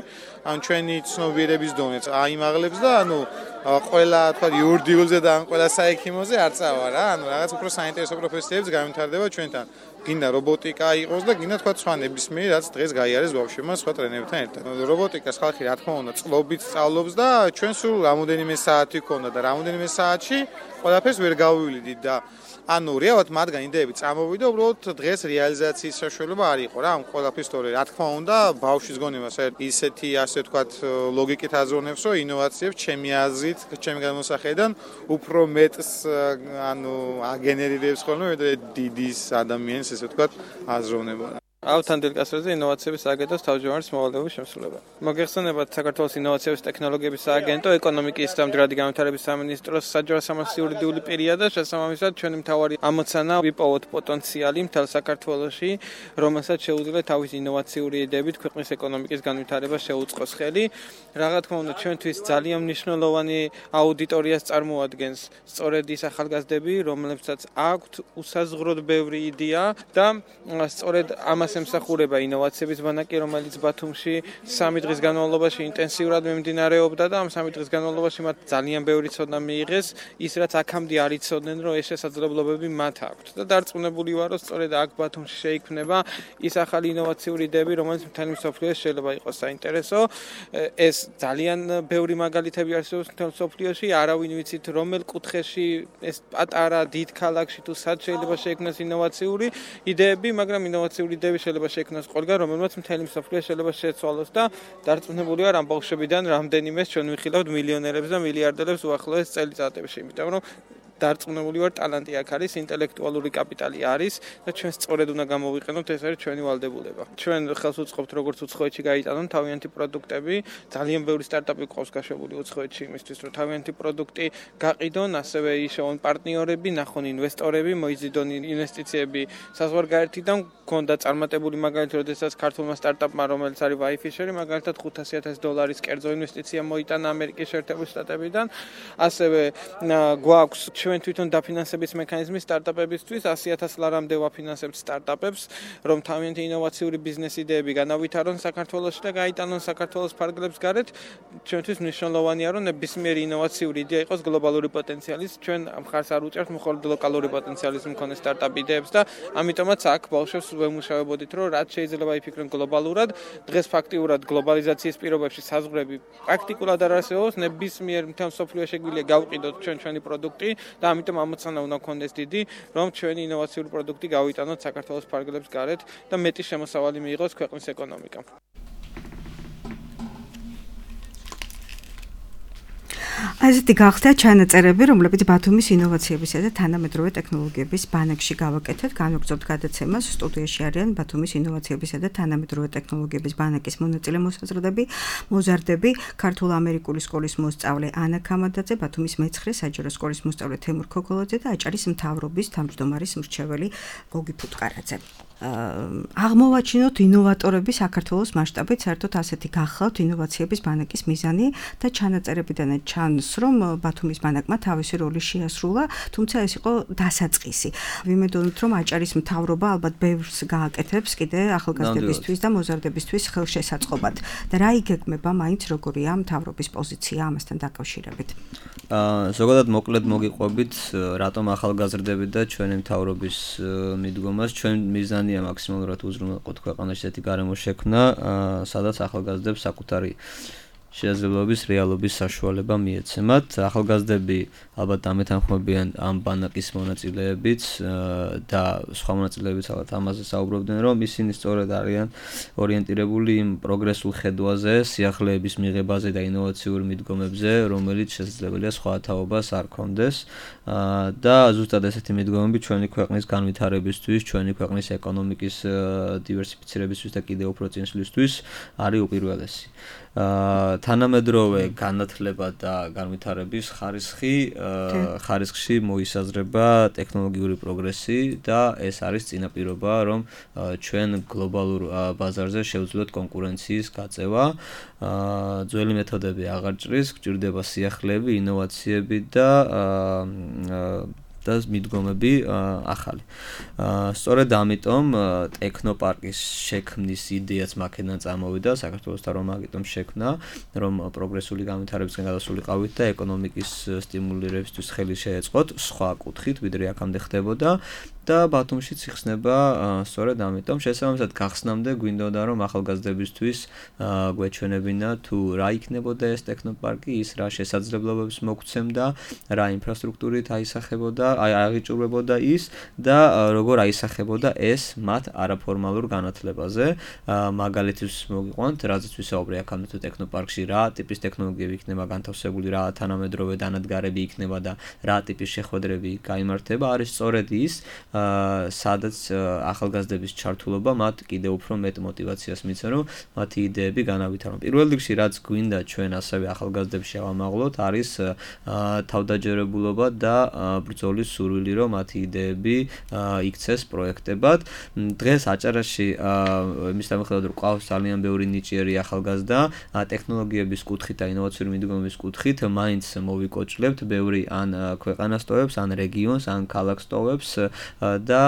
ან ჩვენი ცნობიერების დონეც აიმაღლებს და ანუ ყველა თქვა იურდიულზე და ან ყველა საექიმოზე არ წავა რა, ანუ რაღაც უფრო საინტერესო პროფესიებიც გამიმთარდება ჩვენთან. გინდა რობოტიკა იყოს და გინდა თქვა სხვა ნებისმიერი რაც დღეს გაიარეს ბავშვებმა სხვა ტრენერებთან ერთად. რობოტიკას ხალხი რა თქმა უნდა წლობით სწავლობს და ჩვენ სულ რამოდენიმე საათი გქონდა და რამოდენიმე საათში ყველაფერს ვერ გავივლიდით და ანუ რეალურად მათგან იდეები წამოვიდა, უბრალოდ დღეს რეალიზაციის საშუალება არ იყო რა, ამ ყველაფრის თორე რა თქმა უნდა ბავშვის გონება საერთოდ ისეთი ასე ვთქვათ ლოგიკით აზროვნებს, რომ ინოვაციებს ჩემი აზრით, ჩემი განმოსახედიდან უფრო მეტს ანუ აგენერირებს ხოლმე დიდის ადამიანის ესე ვთქვათ აზროვნება. ავთან დილკასრეზე ინოვაციების სააგენტოს თავმჯდომარის მოვალეობის შემსრულება. მოგეხსენებათ საქართველოს ინოვაციების ტექნოლოგიების სააგენტო, ეკონომიკის და მდგრადი განვითარების სამინისტროს საჯარო-სამართლის იურიდიული პირია და შესაბამისად ჩვენი მთავარი ამოცანა ვიპოვოთ პოტენციალი მთელ საქართველოში, რომელსაც შეუძლია თავის ინოვაციური იდეებით ქვეყნის ეკონომიკის განვითარებას შეუწყოს ხელი. რა თქმა უნდა, ჩვენთვის ძალიან მნიშვნელოვანი აუდიტორიას წარმოადგენს სწორედ ის ახალგაზრდები, რომლებსაც აქვთ უსაზღვროდ ბევრი იდეა და სწორედ ამას ემსახურება ინოვაციების ბანაკი, რომელიც ბათუმში სამი დღის განმავლობაში ინტენსიურად მიმდინარეობდა და ამ სამი დღის განმავლობაში მათ ძალიან ბევრი ცოდნა მიიღეს, ის რაც აქამდე არ იცოდნენ, რომ ეს შესაძლებლობები მათ აქვთ. და დარწმუნებული ვარ, რომ სწორედ აქ ბათუმში შეიქმნება ის ახალი ინოვაციური იდეები, რომელიც მთელი მსოფლიოს შეიძლება იყოს საინტერესო. ეს ძალიან ბევრი მაგალითები არსებობს მთელ მსოფლიოში, არავინ ვიცით რომელ კუთხეში ეს პატარა დიდ ქალაქში თუ სად შეიძლება შეიქმნას ინოვაციური იდეები, მაგრამ ინოვაციური იდეები შეიძლება შექმნას ყველგან, რომელმაც მთელი მსოფლიო შეიძლება შეცვალოს და დარწმუნებული ვარ ამ ბავშვებიდან რამდენიმეს ჩვენ ვიხილავთ მილიონერებს და მილიარდერებს უახლოეს წელიწადებში, იმიტომ რომ დარწმუნებული ვარ, ტალანტი აქ არის, ინტელექტუალური კაპიტალი არის და ჩვენ სწორედ უნდა გამოვიყენოთ, ეს არის ჩვენი ვალდებულება. ჩვენ ხელს უწყობთ როგორც უცხოეთში გაიტანონ თავიანთი პროდუქტები, ძალიან ბევრი სტარტაპი ყავს გაშვებული უცხოეთში იმისთვის, რომ თავიანთი პროდუქტი გაყიდონ, ასევე იშოვონ პარტნიორები, ნახონ ინვესტორები, მოიზიდონ ინვესტიციები საზღვარგარეთიდან, გქონდა წარმატებული მაგალითი, როდესაც ქართულმა სტარტაპმა, რომელიც არის Wayfisher, მაგალითად ხუთასი ათასი დოლარის კერძო ინვესტიცია მოიტანა ამერიკის შეერთებული შტატებიდან, ასევე გვაქვს ჩვენ თვითონ დაფინანსების მექანიზმი სტარტაპებისთვის, ასი ათასი ლარამდე ვაფინანსებთ სტარტაპებს, რომ თავიანთი ინოვაციური ბიზნეს იდეები განავითარონ საქართველოში და გაიტანონ საქართველოს ფარგლებს გარეთ. ჩვენთვის მნიშვნელოვანია, რომ ნებისმიერი ინოვაციური იდეა იყოს გლობალური პოტენციალის, ჩვენ მხარს არ უჭერთ მხოლოდ ლოკალური პოტენციალის მქონე სტარტაპ იდეებს და ამიტომაც აქ ბავშვებს ვემუშავებოდით, რომ რაც შეიძლება იფიქრონ გლობალურად. დღეს ფაქტიურად გლობალიზაციის პირობებში საზღვრები პრაქტიკულად არ არსებობს, ნებისმიერ მთელ მსოფლიოში შეგვიძლია გავყიდოთ ჩვენ ჩვენი პროდუქტი და ამიტომ ამოცანა უნდა გქონდეს დიდი, რომ ჩვენი ინოვაციური პროდუქტი გავიტანოთ საქართველოს ფარგლებს გარეთ და მეტი შემოსავალი მიიღოს ქვეყნის ეკონომიკამ. ასეთი გახდა ჩანაწერები, რომლებიც ბათუმის ინოვაციებისა და თანამედროვე ტექნოლოგიების ბანაკში გავაკეთეთ. განვაგრძობთ გადაცემას. სტუდიაში არიან ბათუმის ინოვაციებისა და თანამედროვე ტექნოლოგიების ბანაკის მონაწილე მოსაზრდები, მოზარდები, ქართულ-ამერიკული სკოლის მოსწავლე ანა ქამადაძე, ბათუმის მეცხრე საჯარო სკოლის მოსწავლე თემურ ქოქოლაძე და აჭარის მთავრობის თავმჯდომარის მრჩეველი გოგი ფუტკარაძე. აღმოვაჩინოთ ინოვატორები საქართველოს მასშტაბით, საერთოდ ასეთი გახლავთ ინოვაციების ბანაკის მიზანი და ჩანაწერებიდანაც ჩანს, რომ ბათუმის ბანაკმა თავისი როლი შეასრულა, თუმცა ეს იყო დასაწყისი. ვიმედოვნთ, რომ აჭარის მთავრობა ალბათ ბევრს გააკეთებს კიდე ახალგაზრდებისთვის და მოზარდებისთვის ხელშესაწყობად. და რა იგეგმება მაინც როგორია მთავრობის პოზიცია ამასთან დაკავშირებით? აა ზოგადად მოკლედ მოგიყვებით, რატომ ახალგაზრდები და ჩვენი მთავრობის მიდგომას ჩვენ მიზანი მაქსიმალურად უზრუნველყოთ ქვეყანაში ესეთი გარემო შექმნა, სადაც ახალგაზრდებს საკუთარი შესაძლებლობის რეალობის საშუალება მიეცემათ. ახალგაზრდები ალბათ ამეთანხმებიან ამ ბანაკის მონაწილეებით და სხვა მონაწილეებიც ალბათ ამაზე საუბრობდნენ, რომ ისინი სწორედ არიან ორიენტირებული იმ პროგრესულ ხედვაზე, სიახლეების მიღებაზე და ინოვაციურ მიდგომებზე, რომელიც შესაძლებელია სხვა თაობას არ ქონდეს და ზუსტად ესეთი მიდგომები ჩვენი ქვეყნის განვითარებისთვის, ჩვენი ქვეყნის ეკონომიკის დივერსიფიცირებისთვის და კიდევ უფრო წინსვლისთვის არის უპირველესი. თანამედროვე განათლება და განვითარების ხარისხი ხარისხში მოისაზრება ტექნოლოგიური პროგრესი და ეს არის წინაპირობა, რომ ჩვენ გლობალურ ბაზარზე შევძლოთ კონკურენციის გაწევა. ძველი მეთოდები აღარ ჭრის, გჭირდება სიახლეები, ინოვაციები და და მიდგომები ახალი. სწორედ ამიტომ ტექნოპარკის შექმნის იდეაც მაქედან წამოვიდა, საქართველოსთან რომ მაგიტომ შექმნა, რომ პროგრესული განვითარებისგან გადასულიყავით და ეკონომიკის სტიმულირებისთვის ხელი შეეწყოთ სხვა კუთხით, ვიდრე აქამდე ხდებოდა. და ბათუმშიც იხსნება სწორედ ამიტომ შესაბამისად გახსნამდე გვინდოდა რომ ახალგაზრდებისთვის გვეჩვენებინა თუ რა იქნებოდა ეს ტექნოპარკი, ის რა შესაძლებლობებს მოგცემდა, რა ინფრასტრუქტურით აისახებოდა, აღიჭურებოდა ის და როგორ აისახებოდა ეს მათ არაფორმალურ განათლებაზე. მაგალითის მოგიყვანთ, რაზეც ვისაუბრე აქამდე თუ ტექნოპარკში რა ტიპის ტექნოლოგიები იქნება განთავსებული, რა თანამედროვე დანადგარები იქნება და რა ტიპის შეხვედრები გაიმართება, არის სწორედ ის სადაც ახალგაზრდების ჩართულობა მათ კიდევ უფრო მეტ мотиваციას მიცემს, რომ მათი იდეები განავითარონ. პირველ რიგში რაც გვინდა ჩვენ ასევე ახალგაზრდებს შევამაღლოთ, არის თავდაჯერებულობა და ბრძოლის სურვილი, რომ მათი იდეები იქცეს პროექტებად. დღეს აჭარაში იმის დამხელად რომ ყავს ძალიან ბევრი ნიჭიერი ახალგაზრდა, ტექნოლოგიების კუთხით და ინოვაციური მიდგომების კუთხით მაინც მოვიკოჭლებთ ბევრი ან ქვეყანას ტოვებს, ან რეგიონს, ან ქალაქს ტოვებს და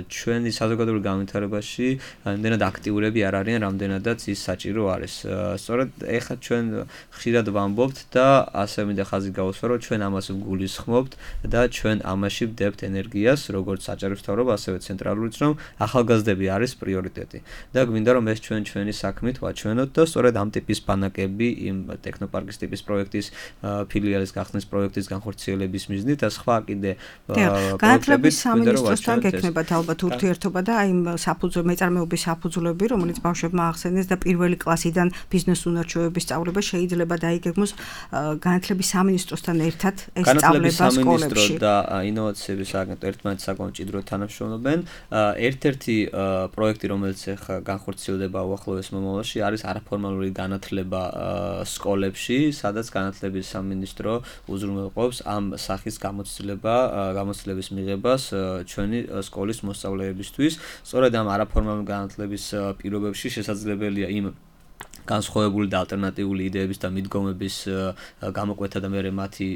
ჩვენი საზოგადოებრივ განვითარებაში რამდენად აქტიურები არ არიან, რამდენადაც ის საჭირო არის. სწორედ ეხლა ჩვენ ხშირად ვამბობთ და ასე მინდა ხაზი გავუსვა, რომ ჩვენ ამას ვგულისხმობთ და ჩვენ ამაში ვდებთ ენერგიას, როგორც საჭირო მთავრობა, ასევე ცენტრალურიც, რომ ახალგაზრდები არის პრიორიტეტი. და გვინდა რომ ეს ჩვენ ჩვენი საქმით ვაჩვენოთ და სწორედ ამ ტიპის ბანაკები, იმ ტექნოპარკის ტიპის პროექტის ფილიალის გახსნის პროექტის განხორციელების მიზნით და სხვა კიდე პროექტებით სამინისტროსთან გექნებათ ალბათ ურთიერთობა და აი საფუძველი მეწარმეობის საფუძვლები, რომელიც ბავშვებმა ახსენეს და პირველი კლასიდან ბიზნეს უნარჩვევების სწავლება შეიძლება დაიგეგმოს განათლების სამინისტროსთან ერთად ეს სწავლება სკოლებში. და ინოვაციების აგენტო ერთმანეთს საკმაოდ მჭიდროდ თანამშრომლობენ. ერთ-ერთი პროექტი, რომელიც ახლა განხორციელდება უახლოეს მომავალში, არის არაფორმალური განათლება სკოლებში, სადაც განათლების სამინისტრო უზრუნველყოფს ამ სახის გამოცდილება, გამოცდილების მიღებას ჩვენი სკოლის მოსწავლეებისთვის. სწორედ ამ არაფორმალური განათლების პირობებში შესაძლებელია იმ განსხვავებული და ალტერნატიული იდეების და მიდგომების გამოკვეთა და მერე მათი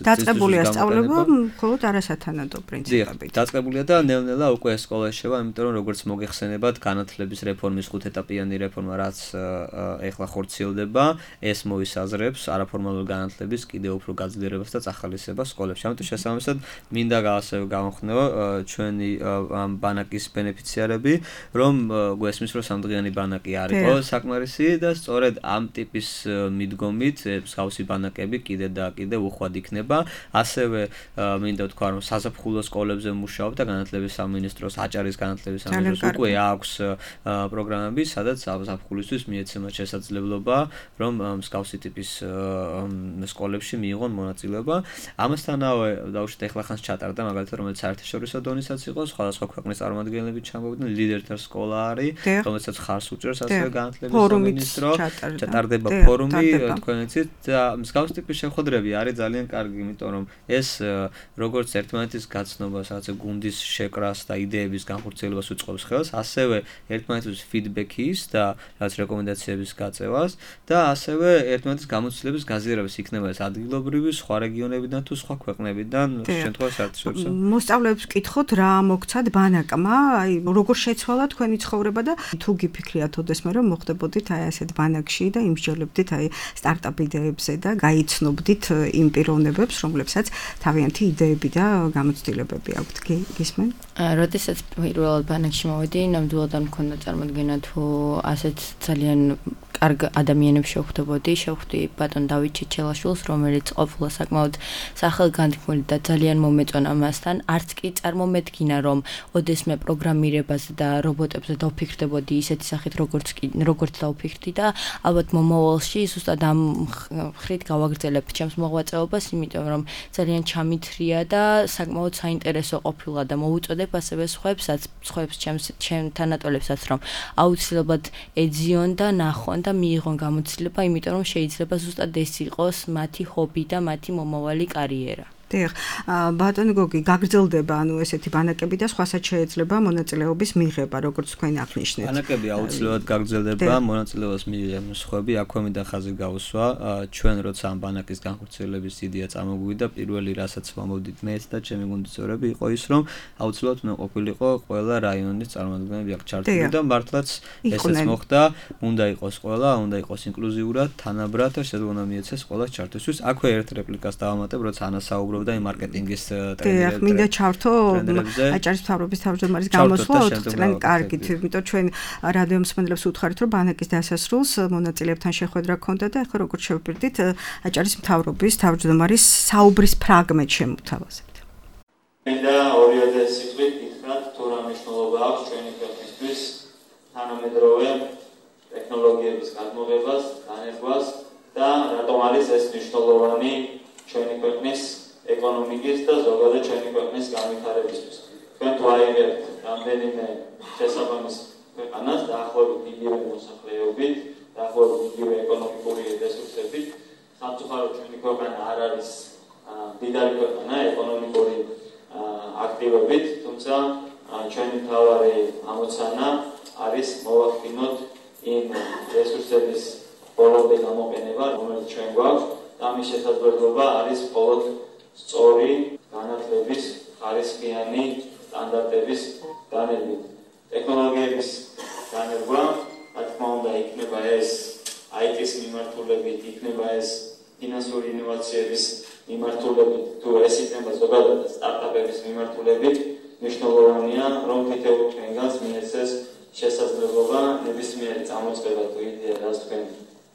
დაწყებულია სწავლება მხოლოდ არასათანადო პრინციპებით. დაწყებულია და ნელ-ნელა უკვე სკოლა შევა, იმიტომ რომ როგორც მოგეხსენებათ, განათლების რეფორმის ხუთეტაპიანი რეფორმა, რაც ეხლა ხორციელდება, ეს მოისაზრებს არაფორმალურ განათლების კიდევ უფრო გაძლიერებას და წახალისებას სკოლებში. ამიტომ შესაბამისად მინდა ასევე გავხსნიო ჩვენი ბანაკის ბენეფიციარები, რომ გვესმის რომ სამდღიანი ბანაკი არისო საკმარისი და სწორედ ამ ტიპის მიდგომით მსგავსი ბანაკები კიდე და კიდე უხვად იქნება. ასევე მინდა ვთქვა, რომ საზაფხულო სკოლებზე მუშაობ და განათლების სამინისტროს, აჭარის განათლების სამინისტროს უკვე აქვს პროგრამები, სადაც საზაფხულისთვის მიეცემათ შესაძლებლობა, რომ მსგავსი ტიპის სკოლებში მიიღონ მონაწილეობა. ამასთანავე დავუშვით ახლა ხანს ჩატარდა, მაგალითად, რომელიც საერთაშორისო დონისაც იყო, სხვადასხვა ქვეყნის წარმომადგენლები ჩამოვიდნენ, ლიდერთა სკოლა არის, რომელსაც ხარს უჭერს ასევე განათლების სამინისტრო, ჩატარდება ფორუმი, თქვენ იცით და მსგავს ტიპის შეხვედრები არის ძალიან კარგი, იმიტომ რომ ეს როგორც ერთმანეთის გაცნობას, რაღაცა გუნდის შეკრას და იდეების განხორციელებას უწყობს ხელს, ასევე ერთმანეთის ფიდბექის და რაღაც რეკომენდაციების გაწევას და ასევე ერთმანეთის გამოცდილების გაზიარებას იქნება ეს ადგილობრივი, სხვა რეგიონებიდან თუ სხვა ქვეყნებიდან, შემთხვევაში საერთაშორისო. მოსწავლეებს ვკითხოთ, რა მოგცათ ბანაკმა, აი როგორ შეცვალა თქვენი ცხოვრება და თუ გიფიქრიათ ოდესმე რომ მოხდებოდით აი ასეთ ბანაკში და იმსჯელებდით აი სტარტაპ იდეებზე და გაიცნობდით იმ პიროვნებებს, რომლებსაც თავიანთი იდეები და გამოცდილებები აქვთ. გისმენ? როდესაც პირველად ბანაკში მოვედი, ნამდვილად არ მქონდა წარმოდგენა თუ ასეთ ძალიან კარგ ადამიანებს შევხვდებოდი, შევხვდი ბატონ დავით ჩეჩელაშვილს, რომელიც ყოფილა საკმაოდ სახელგანთქმული და ძალიან მომეწონა მასთან. არც კი წარმომედგინა, რომ ოდესმე პროგრამირებაზე და რობოტებზე დავფიქრდებოდი ისეთი სახით, როგორც როგორც დავფიქრდი და ალბათ მომავალში ზუსტად ამ ხრით გავაგრძელებ ჩემს მოღვაწეობას, იმიტომ რომ ძალიან ჩამithრია და საკმაოდ საინტერესო ყოფილა და მოუწოდებ ასევე სხვაებსაც, სხვაებს ჩემს ჩემ თანატოლებსაც, რომ აუცილებლად ეძიონ და ნახონ და მიიღონ გამოცდილება, იმიტომ რომ შეიძლება ზუსტად ეს იყოს მათი ჰობი და მათი მომავალი კარიერა. დიახ, ბატონო გოგი, გაგრძელდება ანუ ესეთი ბანაკები და სხვასაც შეიძლება მონაწილეობის მიღება, როგორც თქვენ აღნიშნეთ. ბანაკები აუცილებლად გაგრძელდება, მონაწილეობას მიიღებენ სხვები, აქვე მინდა ხაზი გავუსვა, ჩვენ როცა ამ ბანაკის განხორციელების იდეა წამოგვივიდა, პირველი რასაც ვამოვდით მეც და ჩემი გუნდის წევრები იყო ის, რომ აუცილებლად უნდა ყოფილიყო ყველა რაიონის წარმომადგენლები აქ ჩართული და მართლაც ესეც მოხდა, უნდა იყოს ყველა, უნდა იყოს ინკლუზიურად, თანაბრად და შეგვიძლია მიეცეს ყველას ჩართვისთვის. აქვე ერთ რეპლიკას დავამატებ, როცა ანა საუბრობდა და იმ მარკეტინგის ტრენდებზე. დიახ, მინდა ჩართო აჭარის მთავრობის თავმჯდომარის გამოსვლა ოთხ წლიანი კარგით, იმიტომ ჩვენ რადიო მსმენელებს უთხრით, რომ ბანაკის დასასრულს მონაწილეებთან შეხვედრა ჰქონდა და ახლა როგორც შევფიქრდით, აჭარის მთავრობის თავმჯდომარის საუბრის ფრაგმენტ შემოთავაზებთ. მინდა ორიოდე სიტყვით გითხრათ, თუ რა მნიშვნელობა აქვს ჩვენი ქვეყნისთვის თანამედროვე ტექნოლოგიების გადმოღებას, განერგვას და რატომ არის ეს მნიშვნელოვანი ჩვენი ქვეყნის ეკონომიკის და ზოგადად ჩვენი ქვეყნის განვითარებისთვის. თქვენ თუ აიღებთ რამდენიმე შესაბამის ქვეყანას დაახლოებით იგივე მოსახლეობით, დაახლოებით იგივე ეკონომიკური რესურსებით, სამწუხაროდ ჩვენი ქვეყანა არ არის დიდარი ქვეყანა ეკონომიკური აქტივობით, თუმცა ჩვენი მთავარი ამოცანა არის მოვახდინოთ იმ რესურსების ბოლომდე გამოყენება, რომელიც ჩვენ გვაქვს და ამის შესაძლებლობა არის მხოლოდ სწორი განათლების ხარისხიანი სტანდარტების განერგვა. ტექნოლოგიების განერგვა, რა თქმა უნდა, იქნება ეს აი ტის მიმართულებით, იქნება ეს ფინანსური ინოვაციების მიმართულებით, თუ ეს იქნება ზოგადად სტარტაპების მიმართულებით, მნიშვნელოვანია, რომ თითოეულ ჩვენგანს მიეცეს შესაძლებლობა ნებისმიერი წამოწყება თუ იდეა, რაც თქვენ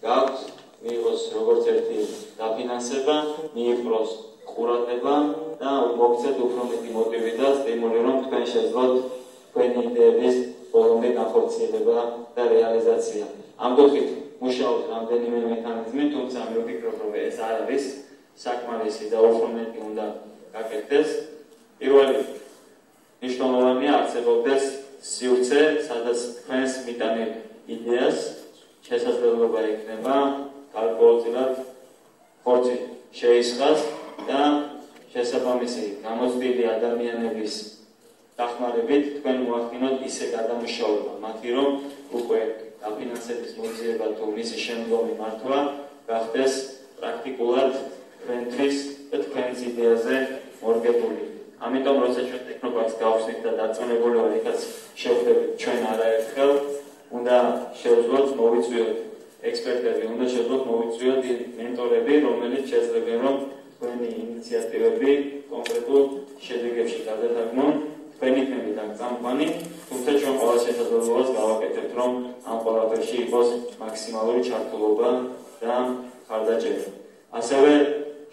გაქვთ, მიიღოს როგორც ერთი დაფინანსება, მიიპყროს ყურადღება და მოგცეთ უფრო მეტი მოტივი და სტიმული, რომ თქვენ შეძლოთ თქვენი იდეების ბოლომდე განხორციელება და რეალიზაცია. ამ კუთხით მუშაობთ რამდენიმე მექანიზმი, თუმცა მე ვფიქრობ, რომ ეს არ არის საკმარისი და უფრო მეტი უნდა გაკეთდეს. პირველი მნიშვნელოვანია არსებობდეს სივრცე, სადაც თქვენს მიტანილ იდეას შესაძლებლობა ექნება გარკვეულწილად ხორცი შეისხას და შესაბამისი გამოცდილი ადამიანების დახმარებით თქვენ მოახდინოთ ისე გადამუშავება მათი, რომ უკვე დაფინანსების მოძიება თუ მისი შემდგომი მართვა გახდეს პრაქტიკულად თქვენთვის და თქვენს იდეაზე მორგებული. ამიტომ როცა ჩვენ ტექნოპარკს გავხსნით და დარწმუნებული ვარ, იქაც შევხვდებით ჩვენ არაერთხელ, უნდა შევძლოთ მოვიწვიოთ ექსპერტები, უნდა შევძლოთ მოვიწვიოთ მენტორები, რომელიც შეძლებენ, რომ თქვენი ინიციატივები კონკრეტულ შედეგებში გადათარგმნონ. თქვენი თემი და წამყვანი, თუმცა ჩვენ ყველა შესაძლებლობას გავაკეთებთ, რომ ამ ყველაფერში იყოს მაქსიმალური ჩართულობა და ხარდაჭერა. ასევე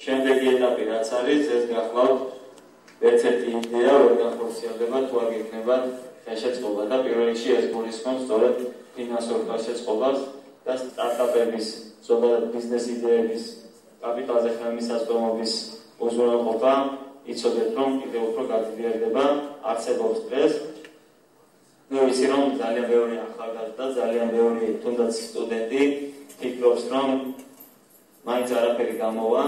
შემდეგი ეტაპი რაც არის, ეს გახლავთ ერთ-ერთი იდეა, რომ განხორციელდება თუ არ გექნებათ ხელშეწყობა და პირველ რიგში ეს გულისხმობს სწორედ ფინანსურ ხელშეწყობას და სტარტაპების, ზოგადად ბიზნეს იდეების კაპიტალზე ხელმისაწვდომობის უზრუნველყოფა. იცოდეთ, რომ კიდევ უფრო გაძლიერდება, არსებობს დღეს. მე ვიცი, რომ ძალიან ბევრი ახალგაზრდა, ძალიან ბევრი თუნდაც სტუდენტი ფიქრობს, რომ მაინც არაფერი გამოვა,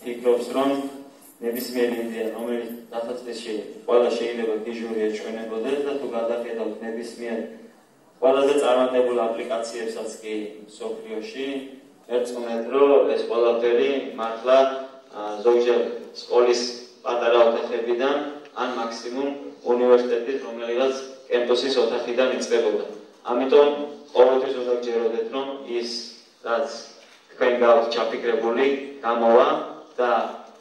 ფიქრობს, რომ ნებისმიერი იდეა, რომელიც დასაწყისში ყველა შეიძლება დიჟური ეჩვენებოდეს და თუ გადახედავთ ნებისმიერ ყველაზე წარმატებულ აპლიკაციებსაც კი სოფლიოში, ერწყმეთ, რომ ეს ყველაფერი მართლა ზოგჯერ სკოლის პატარა ოთახებიდან ან მაქსიმუმ უნივერსიტეტის რომელიღაც კემპუსის ოთახიდან იწყებოდა. ამიტომ ყოველთვის უნდა გჯეროდეთ, რომ ის რაც თქვენ გაქვთ ჩაფიქრებული გამოვა და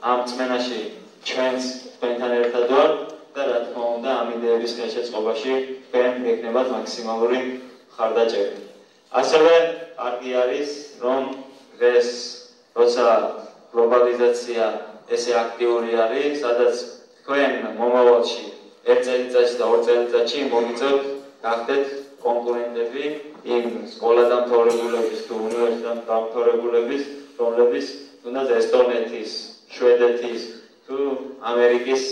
ამ წმენაში ჩვენს თქვენთან ერთად ვართ და რა თქმა უნდა ამ იდეების ხელშეწყობაში თქვენ გექნებათ მაქსიმალური ხარდაჭერა. ასევე კარგი არის, რომ დღეს როცა გლობალიზაცია ესე აქტიური არის, სადაც თქვენ მომავალში ერთ წელიწადში და ორ წელიწადში მოგიწევთ გახდეთ კონკურენტები იმ სკოლადამთავრებულების თუ უნივერსიტეტდამთავრებულების, რომლებიც თუნდაც ესტონეთის, შვედეთის თუ ამერიკის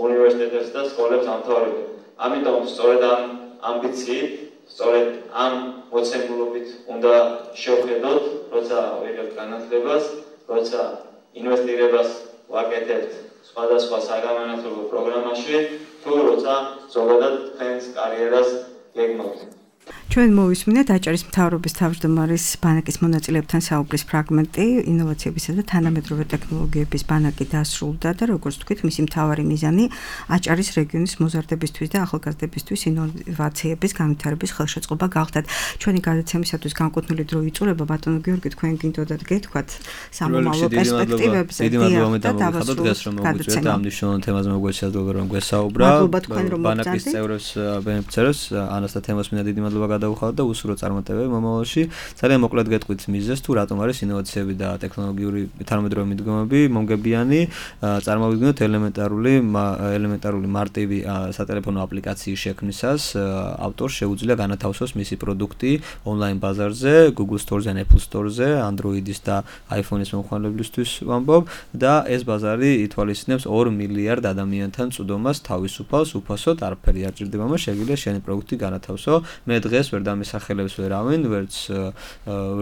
უნივერსიტეტებს და სკოლებს ამთავრებენ. ამიტომ სწორედ ამ ამბიციით, სწორედ ამ მოცემულობით უნდა შევხედოთ, როცა ვიღებთ განათლებას, როცა ინვესტირებას ვაკეთებთ სხვადასხვა საგანმანათლებლო პროგრამაში, თუ როცა ზოგადად თქვენს კარიერას გეგმავთ. ჩვენ მოვისმინეთ აჭარის მთავრობის თავმჯდომარის ბანაკის მონაწილეებთან საუბრის ფრაგმენტი, ინოვაციებისა და თანამედროვე ტექნოლოგიების ბანაკი დასრულდა და როგორც თქვით, მისი მთავარი მიზანი აჭარის რეგიონის მოზარდებისთვის და ახალგაზრდებისთვის ინოვაციების განვითარების ხელშეწყობა გახდათ. ჩვენი გადაცემისათვის განკუთვნილი დრო იწურება, ბატონო გიორგი, თქვენ გინდოდათ გეთქვათ სამომავლო პერსპექტივებზე. დიდი მადლობა მე დამოგიხადოთ დღეს რომ მოგვიწვიეთ ამ მნიშვნელოვან თემაზე მოგვეცადოთ რომ გვესაუბრა. ბანაკის წევრებს ბენეფიციარებს ანას და თემას მინდა დიდი მადლობა გადავუხავთ და უსურო წარმატებები მომავალში. ძალიან მოკლედ გეტყვით მიზეზს თუ რატომ არის ინოვაციები და ტექნოლოგიური თანამედროვე მიდგომები მომგებიანი. წარმოვიდგინოთ ელემენტარული ელემენტარული მარტივი სატელეფონო აპლიკაციის შექმნისას ავტორს შეუძლია განათავსოს მისი პროდუქტი ონლაინ ბაზარზე, Google Store-ზე, Apple Store-ზე, Android-ის და iPhone-ის მომხმარებლისთვის ვამბობ და ეს ბაზარი ითვალისწინებს ორ მილიარდ ადამიანთან წვდომას თავისუფალს, უფასოდ, არაფერი არ ჭირდება, მას შეგიძლია შენი პროდუქტი განათავსო. მე დღეს ვერ დამისახელებს ვერავინ, ვერც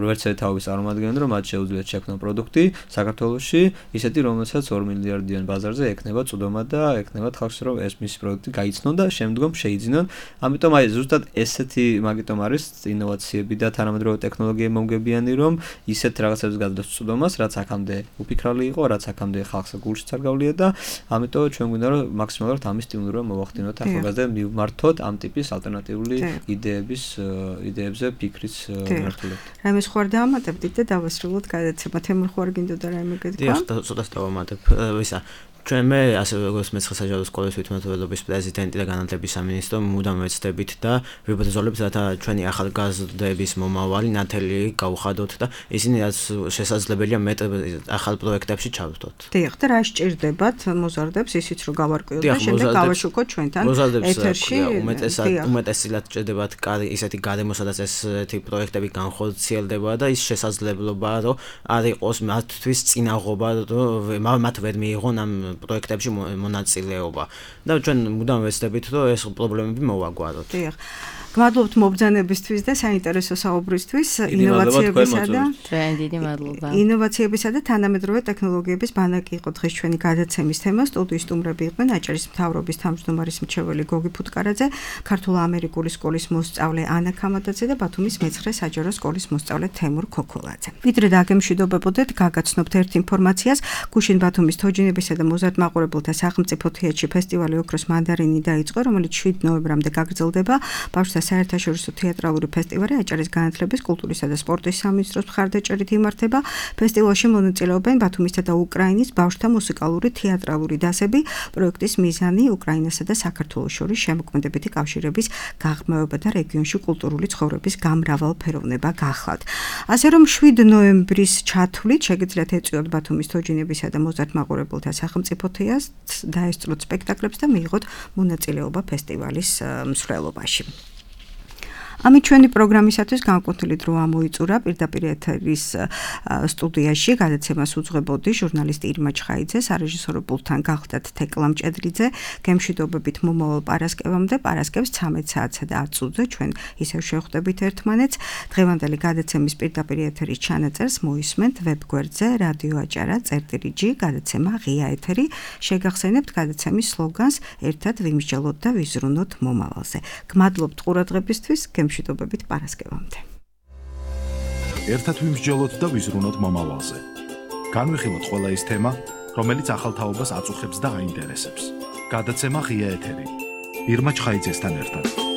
ვერც ეთაობის წარმომადგენელი, რომ მათ შეუძლიათ შექმნან პროდუქტი საქართველოში, ისეთი, რომელსაც ორ მილიარდიან ბაზარზე ექნება წვდომა და ექნებათ ხალხს, რომ ეს მისი პროდუქტი გაიცნონ და შემდგომ შეიძინონ. ამიტომ აი ზუსტად ესეთი მაგიტომ არის ინოვაციები და თანამედროვე ტექნოლოგიები მომგებიანი, რომ ისეთ რაღაცებს გადადოს წვდომას, რაც აქამდე უფიქრალი იყო, რაც აქამდე ხალხს გულშიც არ გავლია და ამიტომ ჩვენ გვინდა რომ მაქსიმალურად ამის სტიმულირება მოვახდინოთ ახალგაზრდებს მივმართოთ ამ ტიპის ალტერნატიული იდეების იდეებზე ფიქრის მართულებით. რაიმე სხვა არ დაამატებდით და დავასრულოთ გადაცემა. თემურ ხوار გინდოდა რაიმე გეთქვა? დიახ, ცოტას დავამატებ. ვისა ჩვენ მე ასე როგორც მეცხრე საჯარო სკოლის თვითმმართველობის პრეზიდენტი და განათლების სამინისტრო მუდამ ვეცდებით და ვიბრძოლებთ რათა ჩვენი ახალგაზრდების მომავალი ნათელი გავხადოთ და ისინი რაც შესაძლებელია მეტ ახალ პროექტებში ჩავთოთ. დიახ, და რა სჭირდებათ მოზარდებს ისიც რომ გავარკვიოთ და შემდეგ გავაშუქოთ ჩვენთან ეთერში. უმეტესად უმეტესად სჭირდებათ ისეთი გარემო, სადაც ესეთი პროექტები განხორციელდება და ის შესაძლებლობაა რომ არ იყოს მათთვის წინაღობა რომ მათ ვერ მიიღონ ამ პროექტებში მონაწილეობა და ჩვენ მუდამ ვეცდებით რომ ეს პრობლემები მოვაგვაროთ. დიახ. გმადლობთ მობრძანებისთვის და საინტერესო საუბრისთვის, ინოვაციებისა და ჩვენ დიდი მადლობა. ინოვაციებისა და თანამედროვე ტექნოლოგიების ბანაკი იყო დღეს ჩვენი გადაცემის თემა. სტუდიის სტუმრები იყვნენ აჭარის მთავრობის თავმჯდომარის მრჩეველი გოგი ფუტკარაძე, ქართულ-ამერიკული სკოლის მოსწავლე ანა ქამადაძე და ბათუმის მეცხრე საჯარო სკოლის მოსწავლე თემურ ქოქოლაძე. ვიდრე დაგემშვიდობებოდეთ, გაგაცნობთ ერთ ინფორმაციას. გუშინ ბათუმის თოჯინებისა და მოზარდ მაყურებელთა სახელმწიფო თეატრში ფესტივალი ოქროს მანდარინი დაიწყო, რომელიც შვიდ ნოემბრამდე გაგრძელდება. ბავშვთა საერთაშორისო თეატრალური ფესტივალი აჭარის განათლების, კულტურისა და სპორტის სამინისტროს მხარდაჭერით იმართება. ფესტივალში მონაწილეობენ ბათუმისა და უკრაინის ბავშვთა მუსიკალური თეატრალური დასები. პროექტის მიზანი უკრაინასა და საქართველოს შორის შემოქმედებითი კავშირების გაღრმავება და რეგიონში კულტურული ცხოვრების გამრავალფეროვნება გახლავთ. ასე რომ შვიდ ნოემბრის ჩათვლით შეგიძლიათ ეწვიოთ ბათუმის თოჯინებისა და მოზარდ მაყურებელთა სახელმწიფო თეატრს, დაესწროთ სპექტაკლებს და მიიღოთ მონაწილეობა ფესტივალის მსვლელობაში. ამით ჩვენი პროგრამისათვის განკუთვნილი დრო ამოიწურა. პირდაპირ ეთერის სტუდიაში გადაცემას უძღვებოდი ჟურნალისტი ირმა ჩხაიძე, სარეჟისორო პულტთან გახლდათ თეკლა მჭედლიძე. გემშვიდობებით მომავალ პარასკევამდე, პარასკევს ცამეტ საათსა და ათ წუთზე ჩვენ ისევ შევხვდებით ერთმანეთს. დღევანდელი გადაცემის პირდაპირ ეთერის ჩანაწერს მოისმენთ ვებგვერდზე რადიო აჭარა წერტილი ჯი, გადაცემა ღია ეთერი. შეგახსენებთ გადაცემის სლოგანს ერთად ვიმსჯელოთ და ვიზრუნოთ მომავალზე. გმადლობთ ყურადღებისთვის. მშვიდობებით პარასკევამდე. ერთად ვიმსჯელოთ და ვიზრუნოთ მომავალზე. განვიხილოთ ყველა ის თემა, რომელიც ახალ თაობას აწუხებს და აინტერესებს. გადაცემა ღია ეთერი. ირმა ჩხაიძესთან ერთად.